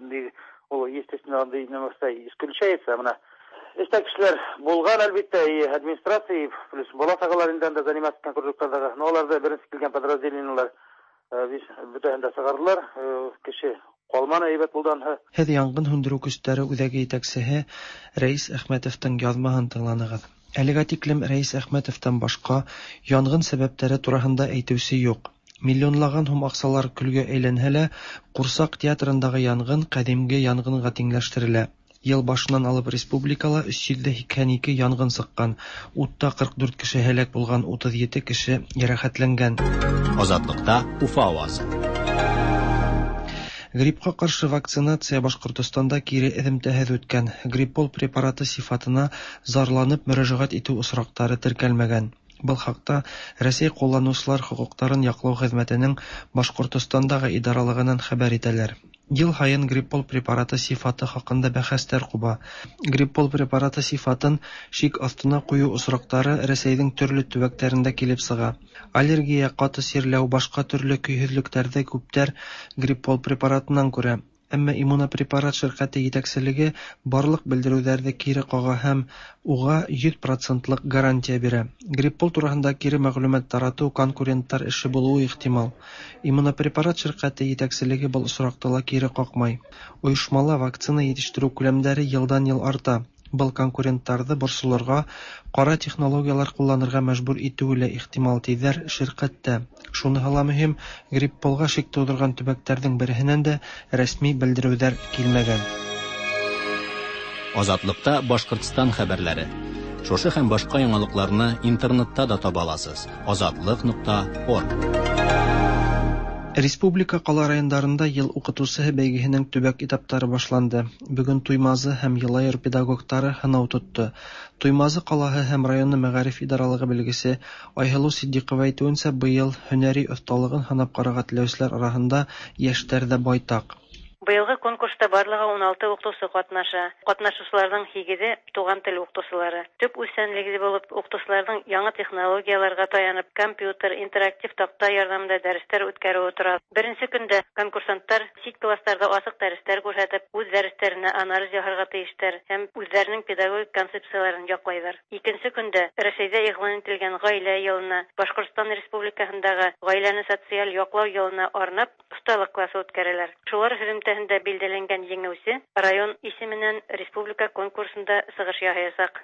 [SPEAKER 10] ул, естественно, андый нәмәсә исключается. Менә эштә кешеләр булган, әлбәттә, и администрация, и плюс бала-чагалар инде анда заниматься иткән кружоклардагы. Но аларда беренче килгән подразделениелар бөтәһен дә чыгардылар. Кеше калманы, әйбәт булды анысы.
[SPEAKER 8] Һеҙ янгын һүндереү көстәре үҙәге етәксеһе Рәис Әхмәтовтың яҙмаһын тыңланығыҙ. Әлегә тиклем Рәис Әхмәтовтан башҡа янғын сәбәптәре тураһында әйтеүсе юҡ. Миллионлаған һум аҡсалар көлгә әйләнһә лә, Ҡурсаҡ театрындағы янғын ҡәҙимге янғынға тиңләштерелә. Йыл башынан алып республикала 382 янғын сыҡҡан, утта 44 кеше һәләк булған, 37 кеше йәрәхәтләнгән.
[SPEAKER 1] Азатлыкта Уфа авазы.
[SPEAKER 8] Гриппка каршы вакцинация Башкортостанда кире эҙемтәһеҙ үткән. Гриппол препараты сифатына зарланып мөрәжәғәт итеү осраҡтары теркәлмәгән. Был хаҡта Рәсәй ҡулланыусылар хоҡуҡтарын яҡлау хеҙмәтенең Башҡортостандағы идаралығынан хәбәр итәләр. Йыл һайын Гриппол препараты сифаты хаҡында бәхәстәр ҡуба. Гриппол препараты сифатын шик аҫтына ҡуйыу осраҡтары Рәсәйҙең төрлө төбәктәрендә килеп сыға. Аллергия, ҡаты сирләү, башҡа төрлө көйһөҙлөктәрҙе күптәр Гриппол препаратынан күрә. Әммә Иммунопрепарат ширҡәте етәкселеге барлыҡ белдереүҙәрҙе кире ҡаға һәм уға 100 процентлыҡ гарантия бирә. Гриппол тураһында кире мәғлүмәт таратыу конкуренттар эше булыуы ихтимал. Иммунопрепарат ширҡәте етәкселеге был осраҡта ла кире ҡаҡмай. Ойошмала вакцина етештереү күләмдәре йылдан-йыл арта. Был конкуренттарҙы борсолорға, ҡара технологиялар ҡулланырға мәжбүр итеүе лә ихтимал, тиҙәр ширҡәттә. Шуныһы ла мөһим, Грипполға шик тыуҙырған төбәктәрҙең береһенән дә рәсми белдереүҙәр килмәгән.
[SPEAKER 1] Азатлыкта Башкортстан хәбәрләре. Шушы һәм башка яңалыкларны интернетта да таба аласыз. Азатлык.орг.
[SPEAKER 8] Республика ҡала райондарында йыл уҡытыусыһы бәйгеһенең төбәк этаптары башланды. Бөгөн Туймазы һәм Йылайыр педагогтары һынау тотто. Туймазы ҡалаһы һәм районы мәғариф идаралығы белгесе Айһылыу Ситдиҡова әйтеүенсә, быйыл һөнәри оҫталығын һынап ҡарарға теләүселәр араһында йәштәр ҙә байтаҡ.
[SPEAKER 6] Быйылғы конкурста барлығы 16 укытучы катнаша. Катнашучыларның 8-е туган тел укытучылары. Төп үзсәнлеге булып укытучыларның яңа технологияләргә таянып, компьютер, интерактив такта ярдәмендә дәресләр үткәрүе тора. Беренче көндә конкурсанттар чит классларда асык дәресләр күрсәтеп, үз дәресләренә анализ яһарга тиешләр һәм үзләренең педагогик концепцияләрен яклайлар. Икенче көндә Рәсәйдә игълан ителгән гаилә елына, Башкортстан Республикаһындагы гаиләне социаль яклау елына арнап осталык классы үткәрәләр. Шулар һөҙөмтәһендә билдәләнгән еңеүсе район исеменнән республика конкурсында сығыш яһаясаҡ.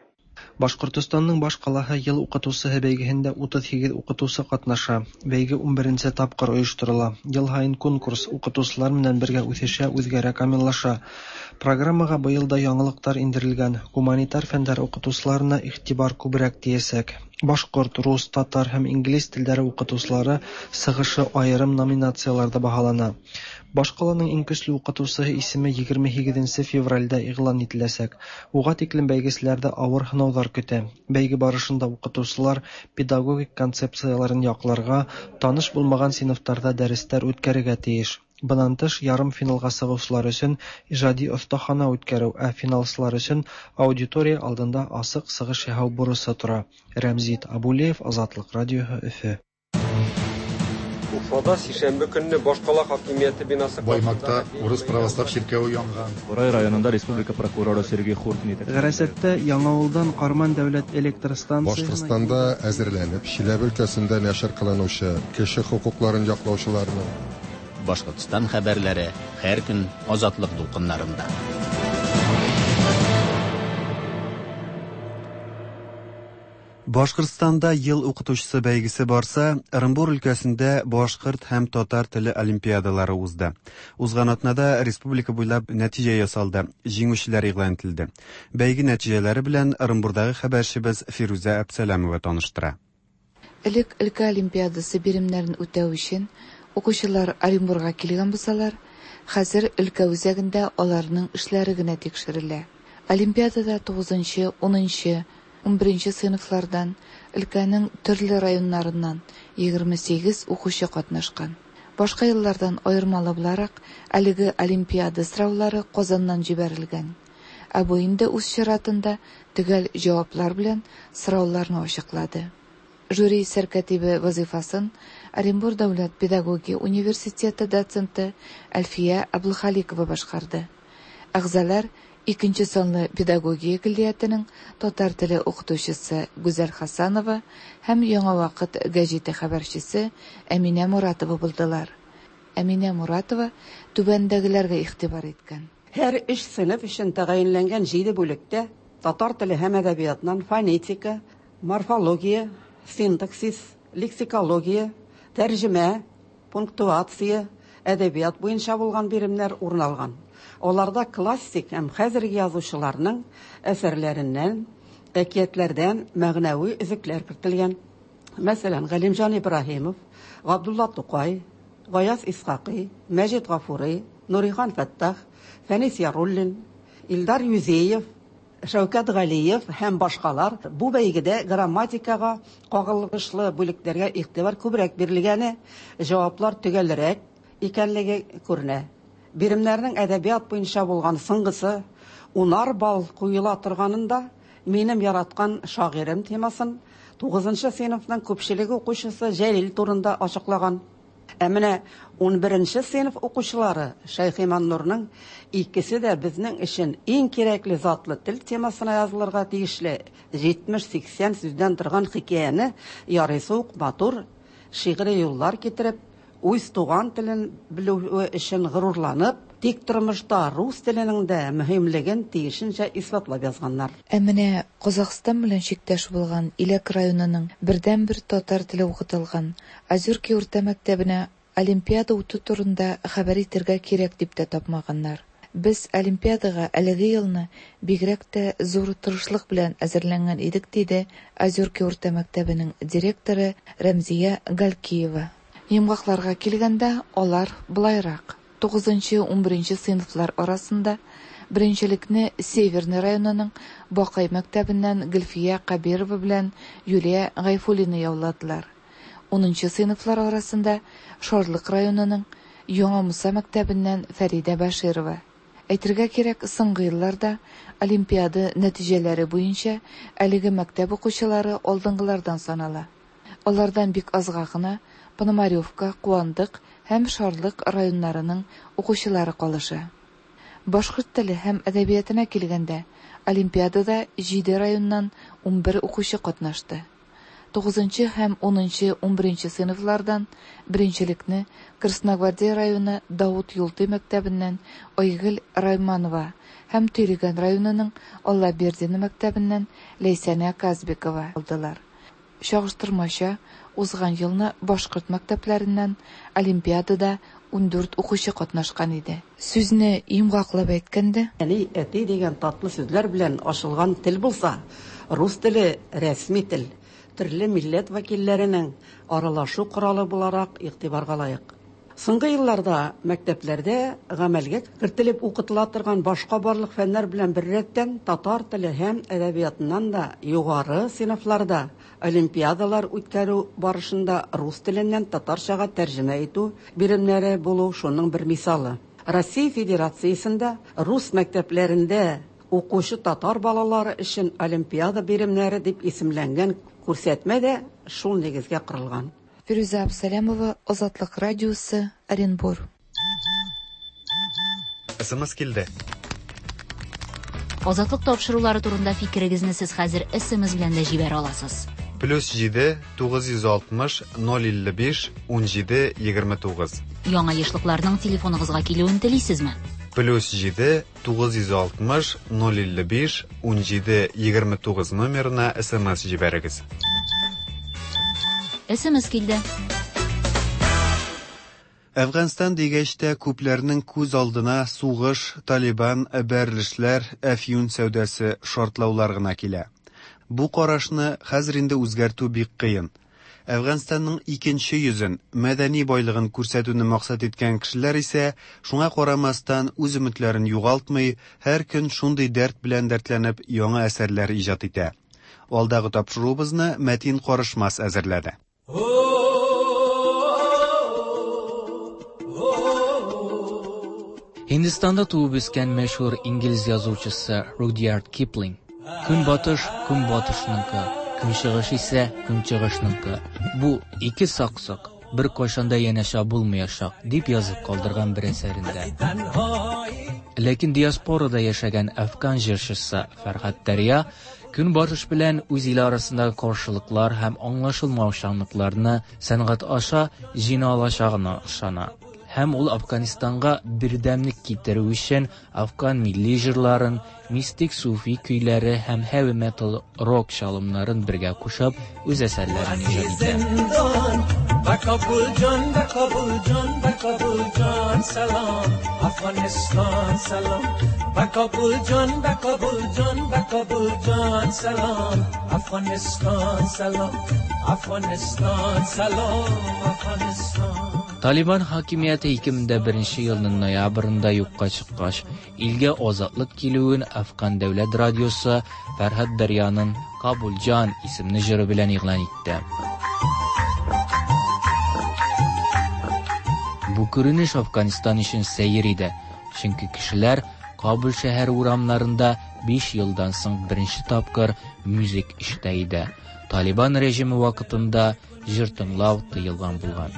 [SPEAKER 8] Башҡортостандың баш ҡалаһы йыл уҡытыусыһы бәйгеһендә 38 уҡытыусы ҡатнаша. Бәйге 11-нсе тапҡыр ойошторола. Йыл һайын конкурс уҡытыусылар менән бергә үҫешә, үҙгәрә, камиллаша. Программаға быйыл да яңылыҡтар индерелгән. Гуманитар фәндәр уҡытыусыларына иғтибар күберәк тейәсәк. Башҡорт, рус, татар һәм инглиз телдәре уҡытыусылары сығышы айырым номинацияларҙа баһалана. Баш ҡаланың иң көслө уҡытыусыһы исеме 28 февралдә иғлан ителәсәк. Уға тиклем бәйгеселәрҙе ауыр һынауҙар көтә. Бәйге барышында уҡытыусылар педагогик концепцияларын яҡларға, таныш булмаған синыфтарҙа дәрестәр үткәрергә тейеш. Бынан тыш, ярым финалға сығыусылар өсөн ижади оҫтахана үткәреү, ә финалсылар өсөн аудитория алдында асыҡ сығыш яһау бурысы тора. Рәмзит Абулеев, Азатлыҡ радиоһы, Өфө.
[SPEAKER 9] Уфада сишәмбе көнне башкала хакимияте бинасы
[SPEAKER 11] Баймакта урыс православ чиркәве янган.
[SPEAKER 14] Бурай районында республика прокуроры Сергей Хуртин итәкчелегендә.
[SPEAKER 8] Ғәрәсәттә Яңауылдан Ҡарман дәүләт электр станцияһына
[SPEAKER 11] Башкортстанда әзерләнеп, Чиләбе өлкәсендә нәшер кылынучы кеше хокукларын яклаучыларның
[SPEAKER 1] Башкортстан хәбәрләре һәр көн Азатлык дулкыннарында.
[SPEAKER 2] Башкортстанда ел укытучысы бәйгесе барса, Ырымбур өлкәсендә башкорт һәм татар теле олимпиадалары узды. Узган атнада республика буйлап нәтиҗә ясалды, җиңүчеләр игълан ителде. Бәйге нәтиҗәләре белән Ырымбурдагы хәбәрчебез Фирүзә Әбсәләмова таныштыра.
[SPEAKER 25] Элек өлкә олимпиадасы биремнәрен үтәү өчен укучылар Оренбурга килгән булсалар, хәзер өлкә үзәгендә аларның эшләре генә тикшерелә. Олимпиадада 9-нчы, 10-нчы, 11-нче сыйныфлардан өлкәнең төрле районнарыннан 28 укучы катнашкан. Башка еллардан аермалы буларак, әлеге олимпиада сораулары Казаннан җибәрелгән. Ә бу инде үз чиратында төгәл җаваплар белән сорауларны ачыклады. Жюри сәркәтибе вазифасын Оренбур дәүләт педагогия университеты доценты Әлфия Әблхаликова башкарды. Әгъзалар икенче санлы педагогия көллиятенең татар теле укытучысы Гүзәл Хасанова һәм Яңа вакыт гәҗите хәбәрчесе Әминә Моратова булдылар. Әминә Моратова түбәндәгеләргә игътибар иткән.
[SPEAKER 13] Һәр өч сыйныф өчен тәгаенләнгән җиде бүлектә татар теле һәм әдәбиятыннан фонетика, морфология, синтаксис, лексикология, тәрҗемә, пунктуация, әдәбият буенча булган биремнәр урын алган. Аларда классик һәм хәзерге язучыларның әсәрләреннән, әкиятләрдән мәгънәви өзекләр кертелгән. Мәсәлән, Галимҗан Ибраһимов, Габдулла Тукай, Гаяз Исхакый, Мәҗит Гафури, Нурихан Фәттах, Фәнис Яруллин, Илдар Юзеев, Шәүкәт Галиев һәм башкалар бу бәйгедә грамматикага кагылышлы бүлекләргә игътибар күбрәк бирелгәне, җаваплар төгәлрәк икәнлеге күренә. Биремнәрнең әдәбият буенча булган соңгысы унар балл куела торганында Минем яраткан шагыйрем темасын тугызынчы сыйныфның күпчелеге укучысы Җәлил турында ачыклаган. Ә менә унберенче сыйныф укучылары Шәйхи Маннурның Икесе дә безнең өчен иң кирәкле затлы тел темасына язылырга тиешле 70-80 сүздән торган хикәяне ярыйсы ук матур шигъри юллар китереп, үз туган телен белүе өчен горурланып, тик тормышта рус теленең дә мөһимлеген тиешенчә исбатлап язганнар.
[SPEAKER 25] Ә менә Казахстан белән чиктәш булган Иләк районының бердәнбер татар теле укытылган Озерки урта мәктәбенә олимпиада үтү турында хәбәр итәргә кирәк дип тә тапмаганнар. Без олимпиадага әлеге елны бигрәк тә зур тырышлык белән әзерләнгән идек, диде Озерки урта мәктәбенең директоры Рәмзия Галкиева. Йомгакларга килгәндә, алар болайрак, тугызынчы-унберенче сыйныфлар арасында беренчелекне Северный районының Бакай мәктәбеннән Гөлфия Кабирова белән Юлия Гайфуллина яуладылар. Унынчы сыйныфлар арасында Шарлык районының Яңа Муса мәктәбеннән Фәридә Бәширова. Әйтергә кирәк, соңгы елларда олимпиада нәтиҗәләре буенча әлеге мәктәп укучылары алдынгылардан санала. Алардан бик азга гына Пономаревка, Куандык һәм Шарлык районнарының укучылары калыша. Башкорт теле һәм әдәбиятына килгәндә, олимпиадада җиде районнан 11 укучы катнашты. Тугызынчы һәм унынчы, унберенче сыйныфлардан беренчелекне Красногвардия районы Даут Юлтый мәктәбеннән Айгөл Райманова һәм Төйлегән районының Аллабердино мәктәбеннән Ләйсәнә Казбекова алдылар. Чагыштырмача, узган елны башкорт мәктәпләреннән олимпиадада 14 укучы катнашкан иде. Сүзне йомгаклап әйткәндә.
[SPEAKER 13] Әни, әти дигән татлы сүзләр белән ачылган тел булса, рус теле, рәсми тел, төрле милләт вәкилләренең аралашу коралы буларак игътибарга лаек. Соңгы елларда мәктәпләрдә гамәлгә кертелеп укытыла торган башка барлык фәннәр белән беррәттән татар теле һәм әдәбиятыннан да югары сыйныфларда олимпиадалар үткәрү барышында рус теленнән татарчага тәрҗемә итү биремнәре булу шуның бер мисалы. Россия Федерациясендә рус мәктәпләрендә укучы татар балалары өчен олимпиада биремнәре дип исемләнгән күрсәтмә дә шул нигезгә корылган.
[SPEAKER 25] Фирүзә Абсалямова, Азатлык радиосы, Оренбур.
[SPEAKER 2] СМС килде.
[SPEAKER 7] Азатлык тапшырулары турында фикерегезне сез хәзер СМС белән дә җибәрә аласыз.
[SPEAKER 2] Плюс 7 960 055 17 29.
[SPEAKER 7] Яңа ешлыкларның телефоныгызга килүен телисезме?
[SPEAKER 2] Плюс 7 960 055 17 29 номерына СМС җибәрегез.
[SPEAKER 7] СМС килде.
[SPEAKER 2] Әфганстан дигәч тә күпләрнең күз алдына сугыш, Талибан, бәрелешләр, әфьюн сәүдәсе, шартлаулар гына килә. Бу карашны хәзер инде үзгәртү бик кыен. Әфганстанның икенче йөзен, мәдәни байлыгын күрсәтүне максат иткән кешеләр исә, шуңа карамастан, үз өметләрен югалтмый, һәр көн шундый дәрт белән дәртләнеп яңа әсәрләр иҗат итә. Алдагы тапшыруыбызны Мәтин Карышмас әзерләде.
[SPEAKER 15] Һиндстанда туып үскән мәшһүр инглиз язучысы Рудьярд Киплинг Көнбатыш көнбатышныкы, көнчыгыш исә көнчыгышныкы. Бу ике саксык. беркайчан да янәшә булмаячак, дип язып калдырган бер әсәрендә. Ләкин диаспорада яшәгән әфган җырчысы Фәрһад Дәрья Көнбатыш белән үз иле арасындагы каршылыклар һәм аңлашылмаучанлыкларны сәнгать аша җиңә алачагына ышана. Һәм ул Әфганстанга бердәмлек китерү өчен әфган милли җырларын, мистик суфи көйләре һәм heavy metal рок чалымнарын бергә кушып, үз әсәрләрен иҗат итә. Талибан хакимияте 2001 елның ноябрендә юкка чыккач, илгә азатлык килүен Әфган дәүләт радиосы Фәрһад Дәрьяның Кабулҗан исемле җыры белән игълан итте. Бу күренеш Афганистан өчен сәер иде, чөнки кешеләр Кабул шәһәре урамнарында 5 елдан соң беренче тапкыр музык ишетә иде. Талибан режимы вакытында җыр тыңлау тыелган булган.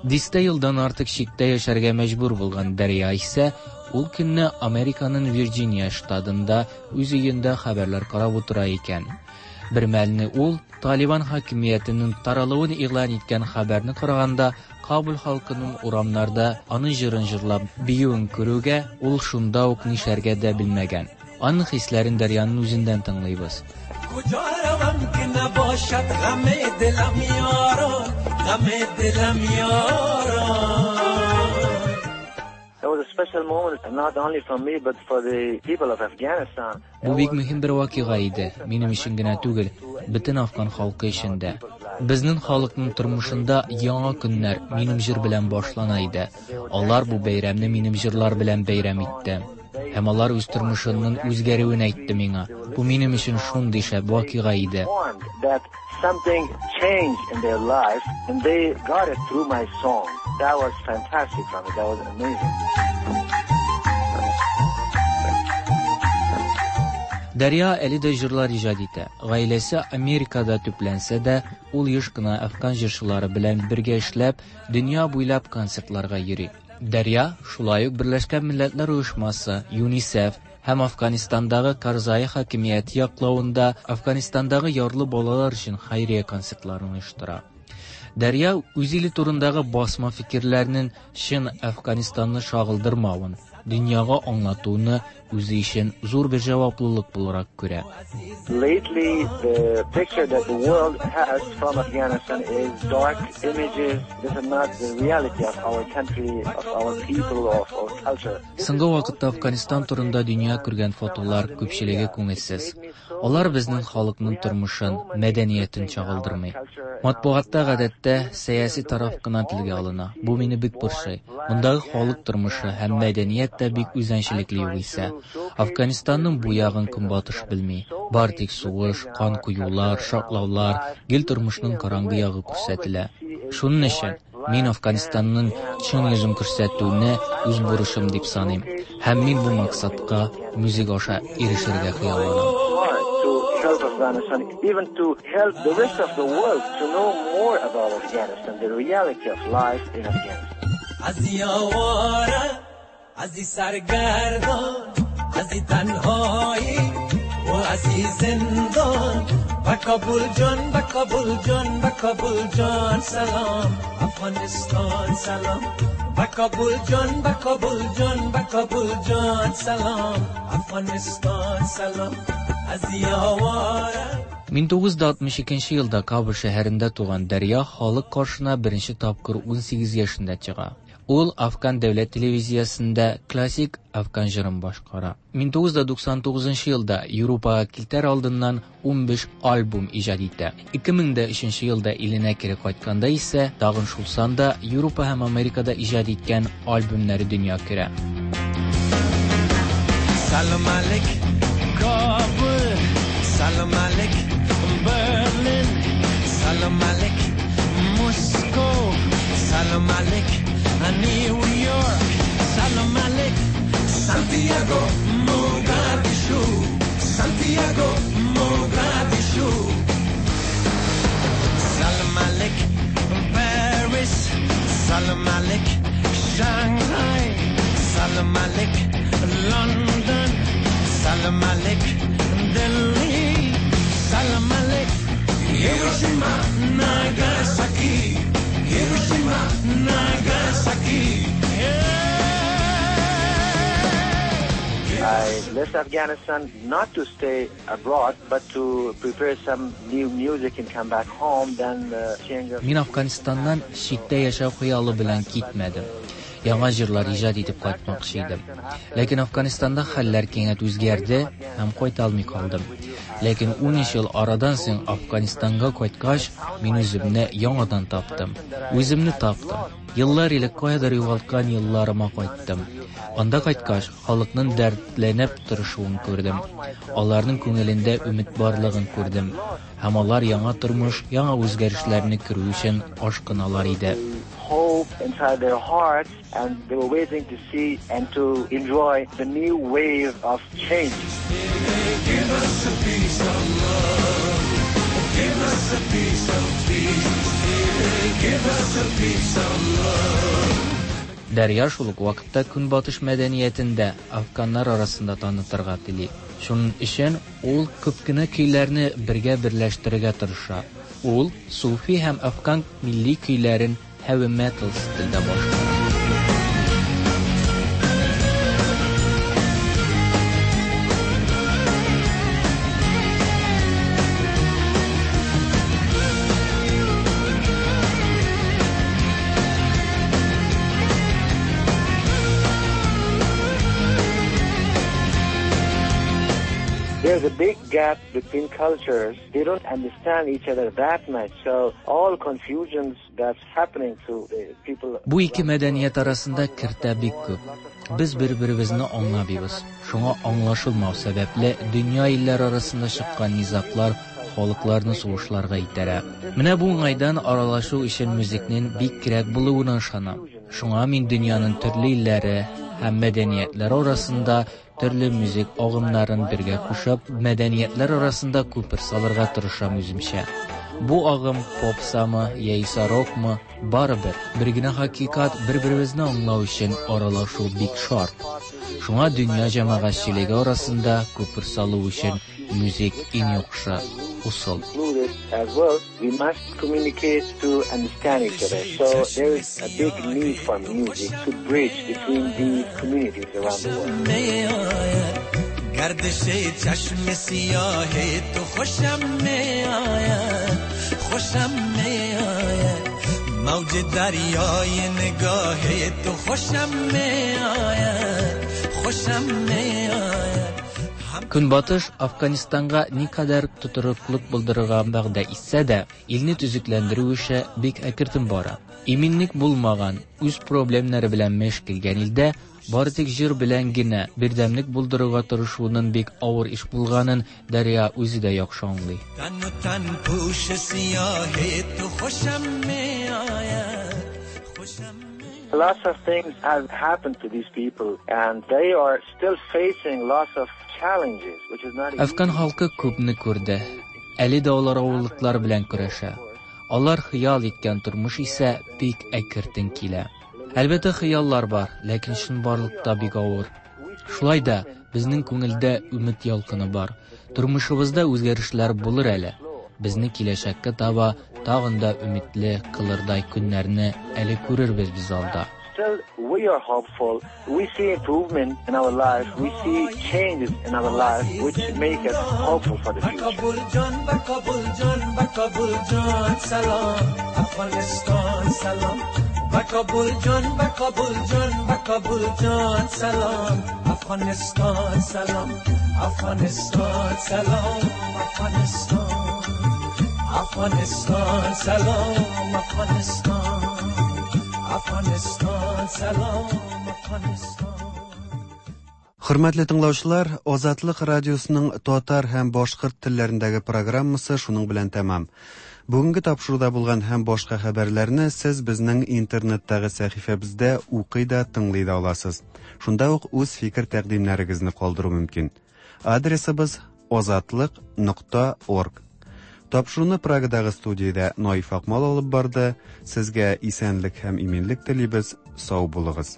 [SPEAKER 15] Дистә елдан артык читтә яшәргә мәҗбүр булган Дәрья исә ул көнне Американың Вирджиния штатында үз өендә хәбәрләр карап утыра икән. Бер мәлне ул Талибан хакимиятенең таралуын игълан иткән хәбәрне караганда Кабул халкының урамнарда аның җырын җырлап биюен күрүгә ул шунда ук нишләргә дә белмәгән. Аның хисләрен Дәрьяның үзеннән тыңлыйбыз. Бу бик мөһим бер вакыйга иде, минем өчен генә түгел, бөтен афган халкы өчен дә. Безнең халыкның тормышында яңа көннәр минем җыр белән башлана иде. Алар бу бәйрәмне минем җырлар белән бәйрәм итте. Һәм алар үз тормышының үзгәрүен әйтте миңа. Бу минем өчен шундый шәп вакыйга иде.
[SPEAKER 10] Something changed in their life and they got it through my song. That was fantastic for me. That was amazing.
[SPEAKER 15] Дәрья әле дә җырлар иҗат итә. Гаиләсе Америкада төпләнсә дә, ул еш кына әфган җырчылары белән бергә эшләп, дөнья буйлап концертларга йөри. Дәрья шулай ук Берләшкән Милләтләр Оешмасы, ЮНИСЕФ һәм Афганистандагы Карзай хакимияте яклавында Афганистандагы ярлы балалар өчен хәйрия концертларын оештыра. Дәрья үз иле турындагы басма фикерләрнең чын Әфганстанны чагылдырмавын, дөньяга аңлатуны үзе өчен зур бер җаваплылык буларак күрә.
[SPEAKER 10] Lately, the picture that the world has from Afghanistan is dark images. This is not the reality of our country, of our people, of our culture.
[SPEAKER 15] Соңгы вакытта Афганистан турында дөнья күргән фотолар күпчелеге күңелсез. Алар безнең халыкның тормышын, мәдәниятен чагылдырмый. Матбугатта гадәттә сәяси тараф кына телгә алына. Бу мине бик борчый. Мондагы халык тормышы һәм мәдәният тә бик үзенчәлекле югыйсә. Афганистанның бу ягын көнбатыш белми. Бар тик сугыш, кан коюлар, шартлаулар, гел тормышның караңгы ягы күрсәтелә. Шуның өчен мин Афганистанның чын йөзен күрсәтүне үз бурычым дип саныйм. Һәм мин бу максатка музыка аша ирешергә хыялланам.
[SPEAKER 10] Help Afghanistan, even to help the rest of the world to know more about Afghanistan, the reality of life in Afghanistan.
[SPEAKER 15] Мин 962 елда Кабул шәһәрендә туган Дәрья халык каршына беренче тапкыр 18 яшендә чыга. Ул Афган дәүләт телевизиясендә классик афган җырын башкара. 1999 елда Европага китәр алдыннан 15 альбом иҗат итә. 2003 елда иленә кире кайтканда исә тагын шул санда Европа һәм Америкада иҗат иткән альбомнары дөнья күрә.
[SPEAKER 16] Salam alik, Kabul, salam alik, Berlin, salam alik, Moscow, salam alik, New York, salam alik, Santiago, Santiago, Mogadishu. Salam alik, Paris. Salam alik, Shanghai. Salam alik, London. Salam alik, Delhi. Salam alik, Hiroshima, Nagasaki. Hiroshima, Nagasaki.
[SPEAKER 10] I left Afghanistan not to stay abroad, but to prepare some new music and come back home. Then change of...
[SPEAKER 15] Мин Афганистаннан читтә яшәү хыялы белән китмәдем. Яңа җырлар иҗат итеп кайтмакчы идем. Ләкин Афганистанда хәлләр кинәт үзгәрде һәм кайта алмый калдым. Ләкин 13 ел арадан соң Афганистанга кайткач, мин үземне яңадан таптым. Үземне таптым. Еллар элек каядыр югалткан елларыма кайттым. Анда кайткач, халыкның дәртләнеп тырышуын күрдем. Аларның күңелендә өмет барлыгын күрдем. Һәм алар яңа тормыш, яңа үзгәрешләрне күрү өчен ашкыналар иде.
[SPEAKER 10] Hope inside their hearts, and they were waiting to see and to enjoy the new wave of change.
[SPEAKER 16] Give us a piece of love. Give us a piece of peace. Give us a piece of love.
[SPEAKER 15] Дәрья шул ук вакытта көнбатыш мәдәниятен дә афганнар арасында танытырга тели. Шуның өчен ул күп кенә көйләрне бергә берләштерергә тырыша. Ул суфи һәм афган милли көйләрен heavy metal стильдә башкара.
[SPEAKER 10] There's a big gap between cultures. They don't understand each other that much. So all confusions that's happening to the people.
[SPEAKER 15] Бу ике мәдәният арасында киртә бик күп. Без бер-беребезне аңламыйбыз. Шуңа аңлашылмау сәбәпле дөнья илләре арасында чыккан низаглар халыкларны сугышларга этәрә. Менә бу уңайдан аралашу өчен музыкның бик кирәк булуына ышанам. Шуңа мин дөньяның төрле илләре һәм мәдәниятләре арасында төрле музык агымнарын бергә кушып, мәдәниятләр арасында күпер салырга тырышам үземчә. Бу агым попсамы яисә рокмы, барыбер бер генә хакыйкать бер-беребезне аңлау өчен аралашу бик шарт. Шуңа дөнья җәмәгатьчелеге арасында күпер салу өчен музык иң яхшы ысул.
[SPEAKER 10] Included as well, we must communicate to understand each other. So there is a big need for music to bridge between these communities around the world.
[SPEAKER 16] می آید گردش چشم سیاه تو خوشم می آید خوشم می آید موج دریای نگاه تو خوشم می آید خوشم می آید
[SPEAKER 15] Көнбатыш Афганистанга никадәр тотрыклык булдырырга вәгъдә итсә дә, илне төзекләндерү эше бик әкертен бара. Иминлек булмаган, үз проблемнары белән мәш килгән илдә бары тик җыр белән генә бердәмлек булдыруга тырышуның бик авыр эш булганын Дәрья үзе дә яхшы аңлый.
[SPEAKER 16] تن و تن پوش سیاه تو خوشم می آید خوشم
[SPEAKER 10] Lots of things have happened to these people, and they are still facing lots of challenges, which is not easy.
[SPEAKER 15] Афган халкы күпне күрде. Әле дә алар авырлыклар белән көрәшә. Алар хыял иткән тормыш исә бик әкертен килә. Әлбәттә хыяллар бар, ләкин чынбарлыкта бик авыр. Шулай да безнең күңелдә өмет ялкыны бар. Тормышыбызда үзгәрешләр булыр әле. Безне киләчәккә таба тагын да өметле кылырдай көннәрне әле күрербез без алда.
[SPEAKER 10] Still, we are hopeful. We see improvement in our life. We see changes in our life, which make us hopeful for the future.
[SPEAKER 16] کابل جان بر کابل جان بر کابل جان سلام افغانستان سلام بر کابل جان بر کابل جان بر کابل جان سلام افغانستان سلام افغانستان سلام افغانستان افغانستان سلام افغانستان افغانستان سلام افغانستان
[SPEAKER 2] Хөрмәтле тыңлаучылар, Азатлык радиосының татар һәм башкорт телләрендәге программасы шуның белән тәмам. Бүгенге тапшыруда булган һәм башка хәбәрләрне сез безнең интернеттагы сәхифәбездә укый да, тыңлый да аласыз. Шунда ук үз фикер тәкъдимнәрегезне калдыру мөмкин. Адресыбыз Азатлык нокта орг. Тапшыруны Прагадагы студиядә Наиф Акмал алып барды. Сезгә исәнлек һәм иминлек телибез. Сау булыгыз.